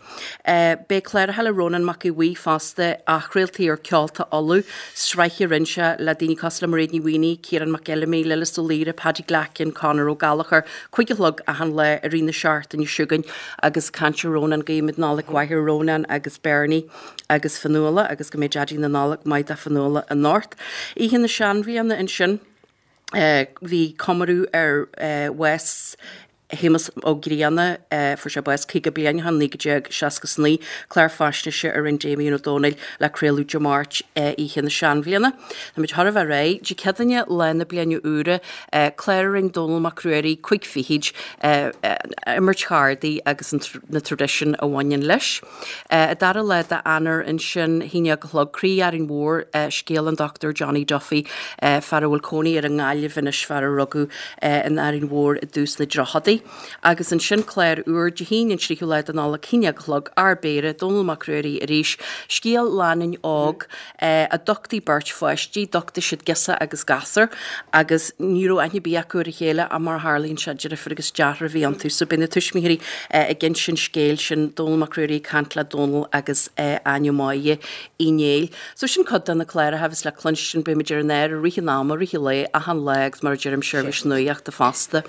Beidh cláracha le Rónán Mac Aodha Bhuí fosta, athchraoltaí ar Ceolta Uladh, sraith a rinne sé le daoine cosúil le Mairéad Ní Mhaonaigh, Ciarán Mac Fheilimí, Lillis Ó Laoire, Paddy Glackin, Conor Ó Gallchóir, 5 a chlog achan lá i rith na seachtaine seo chugainn agus caint ar Rónán, guímid Nollaig mhaith ar Rónán agus Bernie agus Fionnuala agus go mbeidh Daidí na Nollag maith do Fionnuala anocht. Oíche na Seanbhliana ansin bhí comóradh ar bhás Shéamus Ó Grianna, fuair sé bás 50 bliain ó shin, 1969, clár faisnéise a rinne Damien Ó Dónaill le craoladh Dé Máirt oíche na Seanbhliana. Táimid chóir a bheith réidh. Dé Céadaoine, lá na Bliana Úire, Clár a rinne Dónall Mac Ruairí, 5 fichid, imirt chárdaí agus na traidisiúin a bhaineann leis. An dara lá d'Eanáir ansin, 11 a chlog, Croí Árainn Mhór, scéal an Dr Johnny Duffy, fear a bhfuil cónaí air i nGaillimh anois, fear a rugadh in Árainn Mhór i dtús na dtríochadaí. Agus ansin clár úr, Dé hAoine an tríú lá de Nollaig, 11 a chlog, Ár bPéire, Dónall Mac Ruairí arís, scéal lánúin óg, a d'uchtaigh beirt pháistí, d'uchtaigh siad girseach agus gasúr agus ní raibh aithne ar bith acu ar a chéile ach mar a tharlaíonn sé, deirfiúr agus deartháir a bhí iontu. So beidh na tuismitheoirí ag inse an scéil sin, Dónall Mac Ruairí ag caint le Dónall agus Áine Mháire Uí Néill. So sin cuid de na cláracha a bheas le cluinstin, beimid ar an aer i rith an ama, rith an lae, achan lá agus mar a deirim, seirbhís nuachta fosta.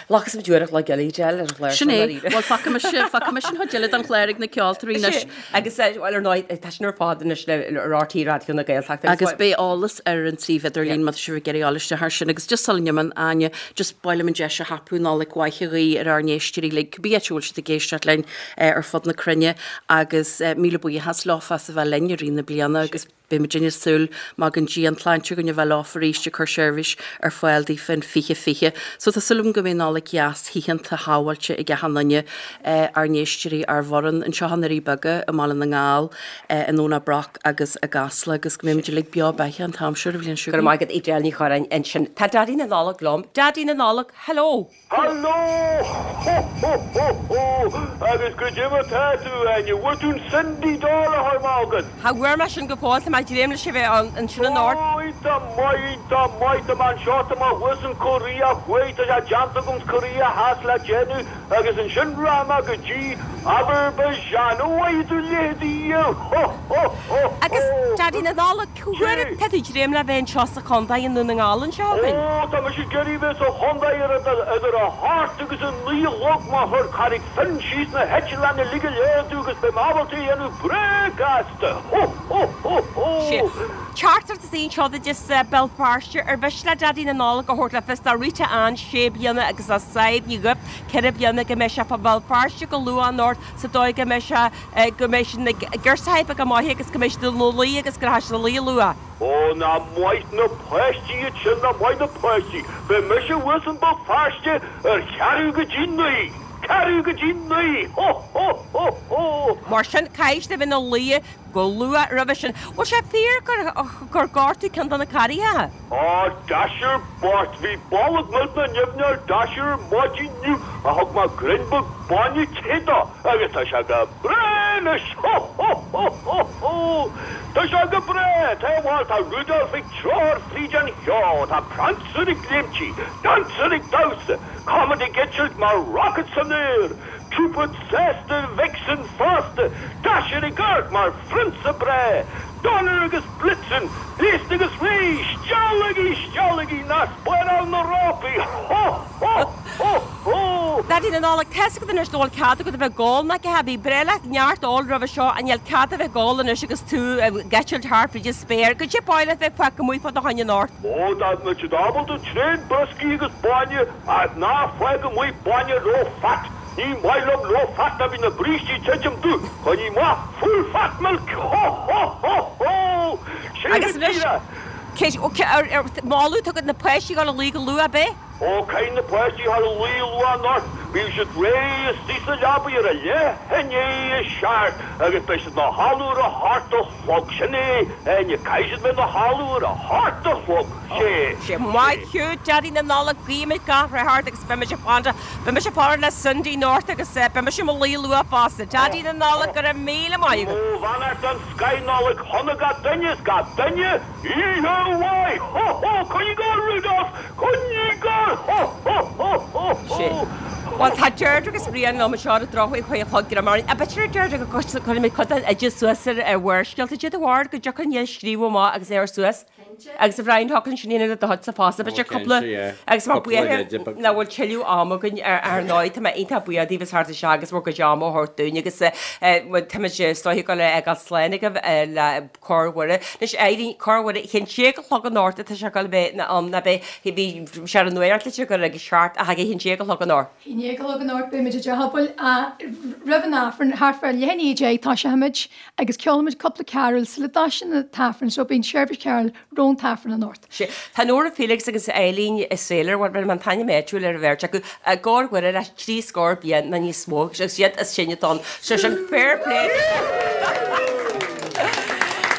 Glacfaidh muid uair a chloig. cúpla giollaí Edel ar an chlár Sin é. Bhuel, fágfaidh mise, fágfaidh mise an chuid eile den chlár ag na ceoltóirí anois. Agus, bhuel, ar ndóigh, tá sin ar fad anois le RTÉ Raidió na Gaeltachta. Agus beidh eolas ar an suíomh idirlín má tá sibh ag iarraidh dul isteach air sin. Agus just sula n-imíonn Áine, just ba mhaith liom an deis a thapú Nollaig mhaith a ghuí ar ár n-éisteoirí uilig, cibé áit a bhfuil siad ag éisteacht linn ar fud na cruinne. Agus míle buíochas leofa as a bheith linn i rith na bliana agus Beidh muidinne ag súil, má fhágann Dia an tsláinte againn, a bheith leofa arís ag cur seirbhís ar fáil daofa in 2020. So tá súil agam go mbeidh Nollaig dheas, shíochánta, shábháilte ag achan duine, ár n-éisteoirí, ár bhfoireann anseo i nDoirí Beaga, i mBaile na nGall, i nDomhnach Broc agus i gCasla agus go mbeidh muid uilig beo beathach an t-am seo an bhliain seo Go raibh maith agat Edel Ní Churráin ansin. Tá Daidí na Nollag liom. Daidí na Nollag, hello! Hello! Ho ho ho ho! Agus goidé mar tá tú, Áine? Bhfuair tú an Sundy doll a chuir mé chugat? Cha bhfuair mé sin go fóill, tá mé ag dréim leis a bheith ann ansin anocht. Ó, iontach maith, iontach maith, tá mé anseo, tá mé thuas in Korea Thuaidh, tá sé déanta agam Korea Theas le déanamh agus ansin rachaidh mé go dtí Azerbaijan. Ó, bhfaighidh tú leithéidí Ho ho ho ho! Agus Daidí na Nollag, Cá huair atá tú ag dréim le bheith anseo sa chontae i nDún na nGall anseo againn? Ó, tá mise ag iarraidh bheith sa chontae ar idir a hocht agus a naoi a chlog má chuir Carraig Finn síos na heitleáin uilig go léir domh agus beidh mé ábalta a dhéanamh breá gasta. Hó! Hó! Hó! Hó! Sea. Teachtaireacht is í anseo duit as Béal Feirste. Ar mhiste le Daidí na Nollag a thabhairt le fios do Rita Ann, sé bliana, agus do Sadhbh Ní Dhuibh, ceithre bliana, go mbeidh sé fá Bhéal Feirste go luath anocht sa dóigh go mbeidh sé go mbeidh siad ina gcirsithe go maith agus go mbeidh siad ina luí agus go rachaidh siad a luí luath. Ó, nach maith na páistí iad sin, nach maith na páistí. Beidh mise thuas in Béal Feirste ar cheathrú go dtí naoi. Ceathrú go dtí naoi! Hó! Hó! Hó! Hó! Mar sin, caithfidh siad a bheith ina luí go luath roimhe sin. Bhfuil sé fíor gur gur gortaíodh ceann de na carraithe? Á, Dasher bocht, bhí bolg millteanach nimhneach ar Dasher ar maidin inniu ach thug mé greim beag bainne te dó agus tá sé go breá anois! Hó hó hó hó hó! Tá sé go breá! Tá, bhuel, tá Rudolph ag treoir fríd an cheo, tá Prancer ag léimtí, Dancer ag damhsa, Comet ag eitilt mar rocket san aer, Cupid sásta, Vixen fosta, Dasher ag amharc mar phrionsa breá, Donner agus Blitzen, gléasta agus réidh, steallaigí, steallaigí, ná spáráil na rópaí, hó, hó, hó, hó! Daidí na Nollag, tá's agat anois nach bhfuil cead agat a bheith ag ól ná cé bhí breá leat neart óil roimhe seo ach níl cead a bheith ag ól anois agus tú ag eitilt thart fríd an spéir. Goidé ba mhaith leat bheith fágtha amuigh fá do choinne anocht. Ó, dá mbeadh siad ábalta tréan brioscaí agus bainne ach ná fág amuigh bainne low fat. Ní maith liom low fat ná bíonn na brístí titim dubh. Coinnigh amach full fat milk! Ho ho ho ho! Sé Agus go anois, díreach! cé, ó, cé, ar, ar, moladh tú na páistí dhul a luí go luath, ab é? Ó, caithfidh na páistí dhul a luí luath anocht. Bíonn siad réidh istigh sa leabaidh ar a leath i ndiaidh a seacht agus beidh siad 'na chodladh ar a hocht a chlog. Sin é, Áine, caithfidh siad bheith 'na chodladh ar a hocht a chlog. Sé. Sé. Maith thú, Daidí na Nollag, guímid gach rath ort agus beidh muid ag fanacht, beidh mise ag fanacht le Cindy anocht agus beidh mise i mo luí luath fosta. Daidí na Nollag, go raibh míle maith agat. Mo bheannacht den scoith Nollaig shona gach duine is gach duine, oíche mhaith! Ho ho! Coinnigh ag gabháil Rudolph! Coinnigh ag gabháil! Ho ho ho ho ho! Bhuel, tá Deirdre agus Brian liom anseo ar an drochuair a cloig go raibh maith. B'fhéidir, Deirdre, go gcuirfidh mé cuid den oideas suas ar Bharrscéalta. Dé do bharr go dtiocfaidh an scríobh amach agus é ar suas. Agus a Bhriain, thiocfadh linn sin a dhéanamh le do thoilsa fosta, b'fhéidir cúpla, agus mar buíochas nach bhfuil tuilleadh ama againn ar ndóigh, tá mé iontach buíoch daoibh as theacht isteach agus bhur gcuid ama a thabhairt dúinn agus táimid is dóiche ag dul a fhágáil slán agaibh le Cór Mhuire. Anois Eileen, Cór Mhuire, a haon déag a chlog anocht atá sé ag dul a bheith ann, ná beidh, bhí sé ar an nuachtlitir gur ag a seacht ach ag a haon déag a chlog anocht. A haon déag a chlog anocht beimid i dTeach Pobail roimh an Aifreann, thart fá leath i ndiaidh a deich toiseochaimid Agus ceolfaimid cúpla carúl sula dtoisíonn an t-aifreann so bíonn seirbhís cheoil roimh an t-aifreann anocht. Sea. Tá Nóra Felix agus Eileen Saylor, bhuel, bhí an t-ainm áitiúil ar an bheirt acu, i gCór Mhuire le trí scór bliain nó níos mó agus iad is sine ann. So sin fair play.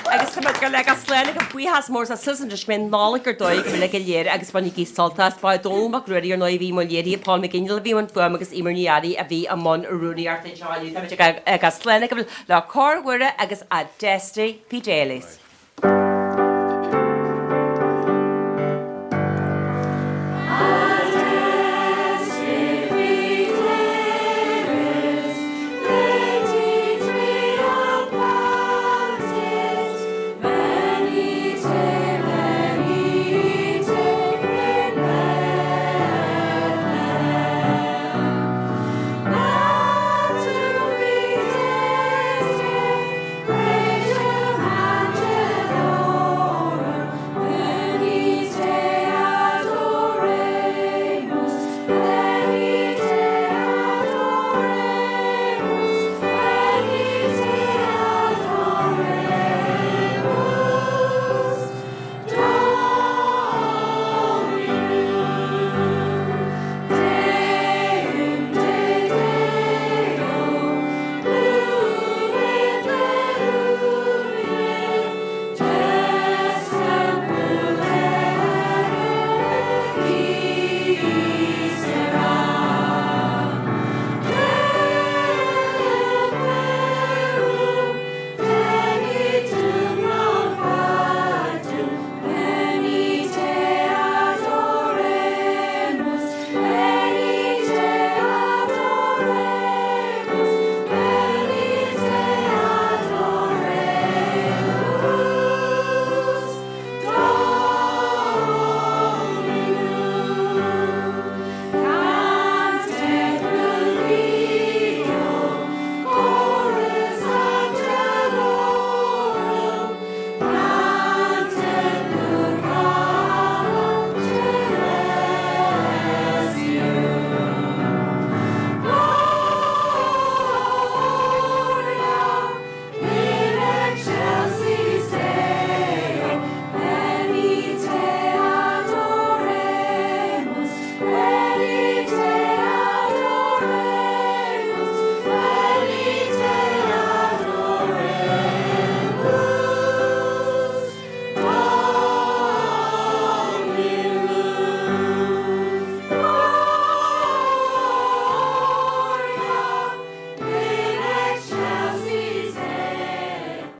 Agus tá muid ag dul a fhágáil slán agaibh buíochas mór as Susan go mbeidh Nollaig ar dóigh agaibh uilig go léir agus bainigí sult as. Ba é Dónall Mac Ruairí ar ndóigh a bhí i mbun léirithe, Paul McGinley a bhí i mbun fuaime agus Eimear Ní Fhearraigh a bhí i mbun rúnaíochta anseo inniu. Tá muid ag fhágáil slán agaibh le Cór Mhuire agus Adeste Fideles.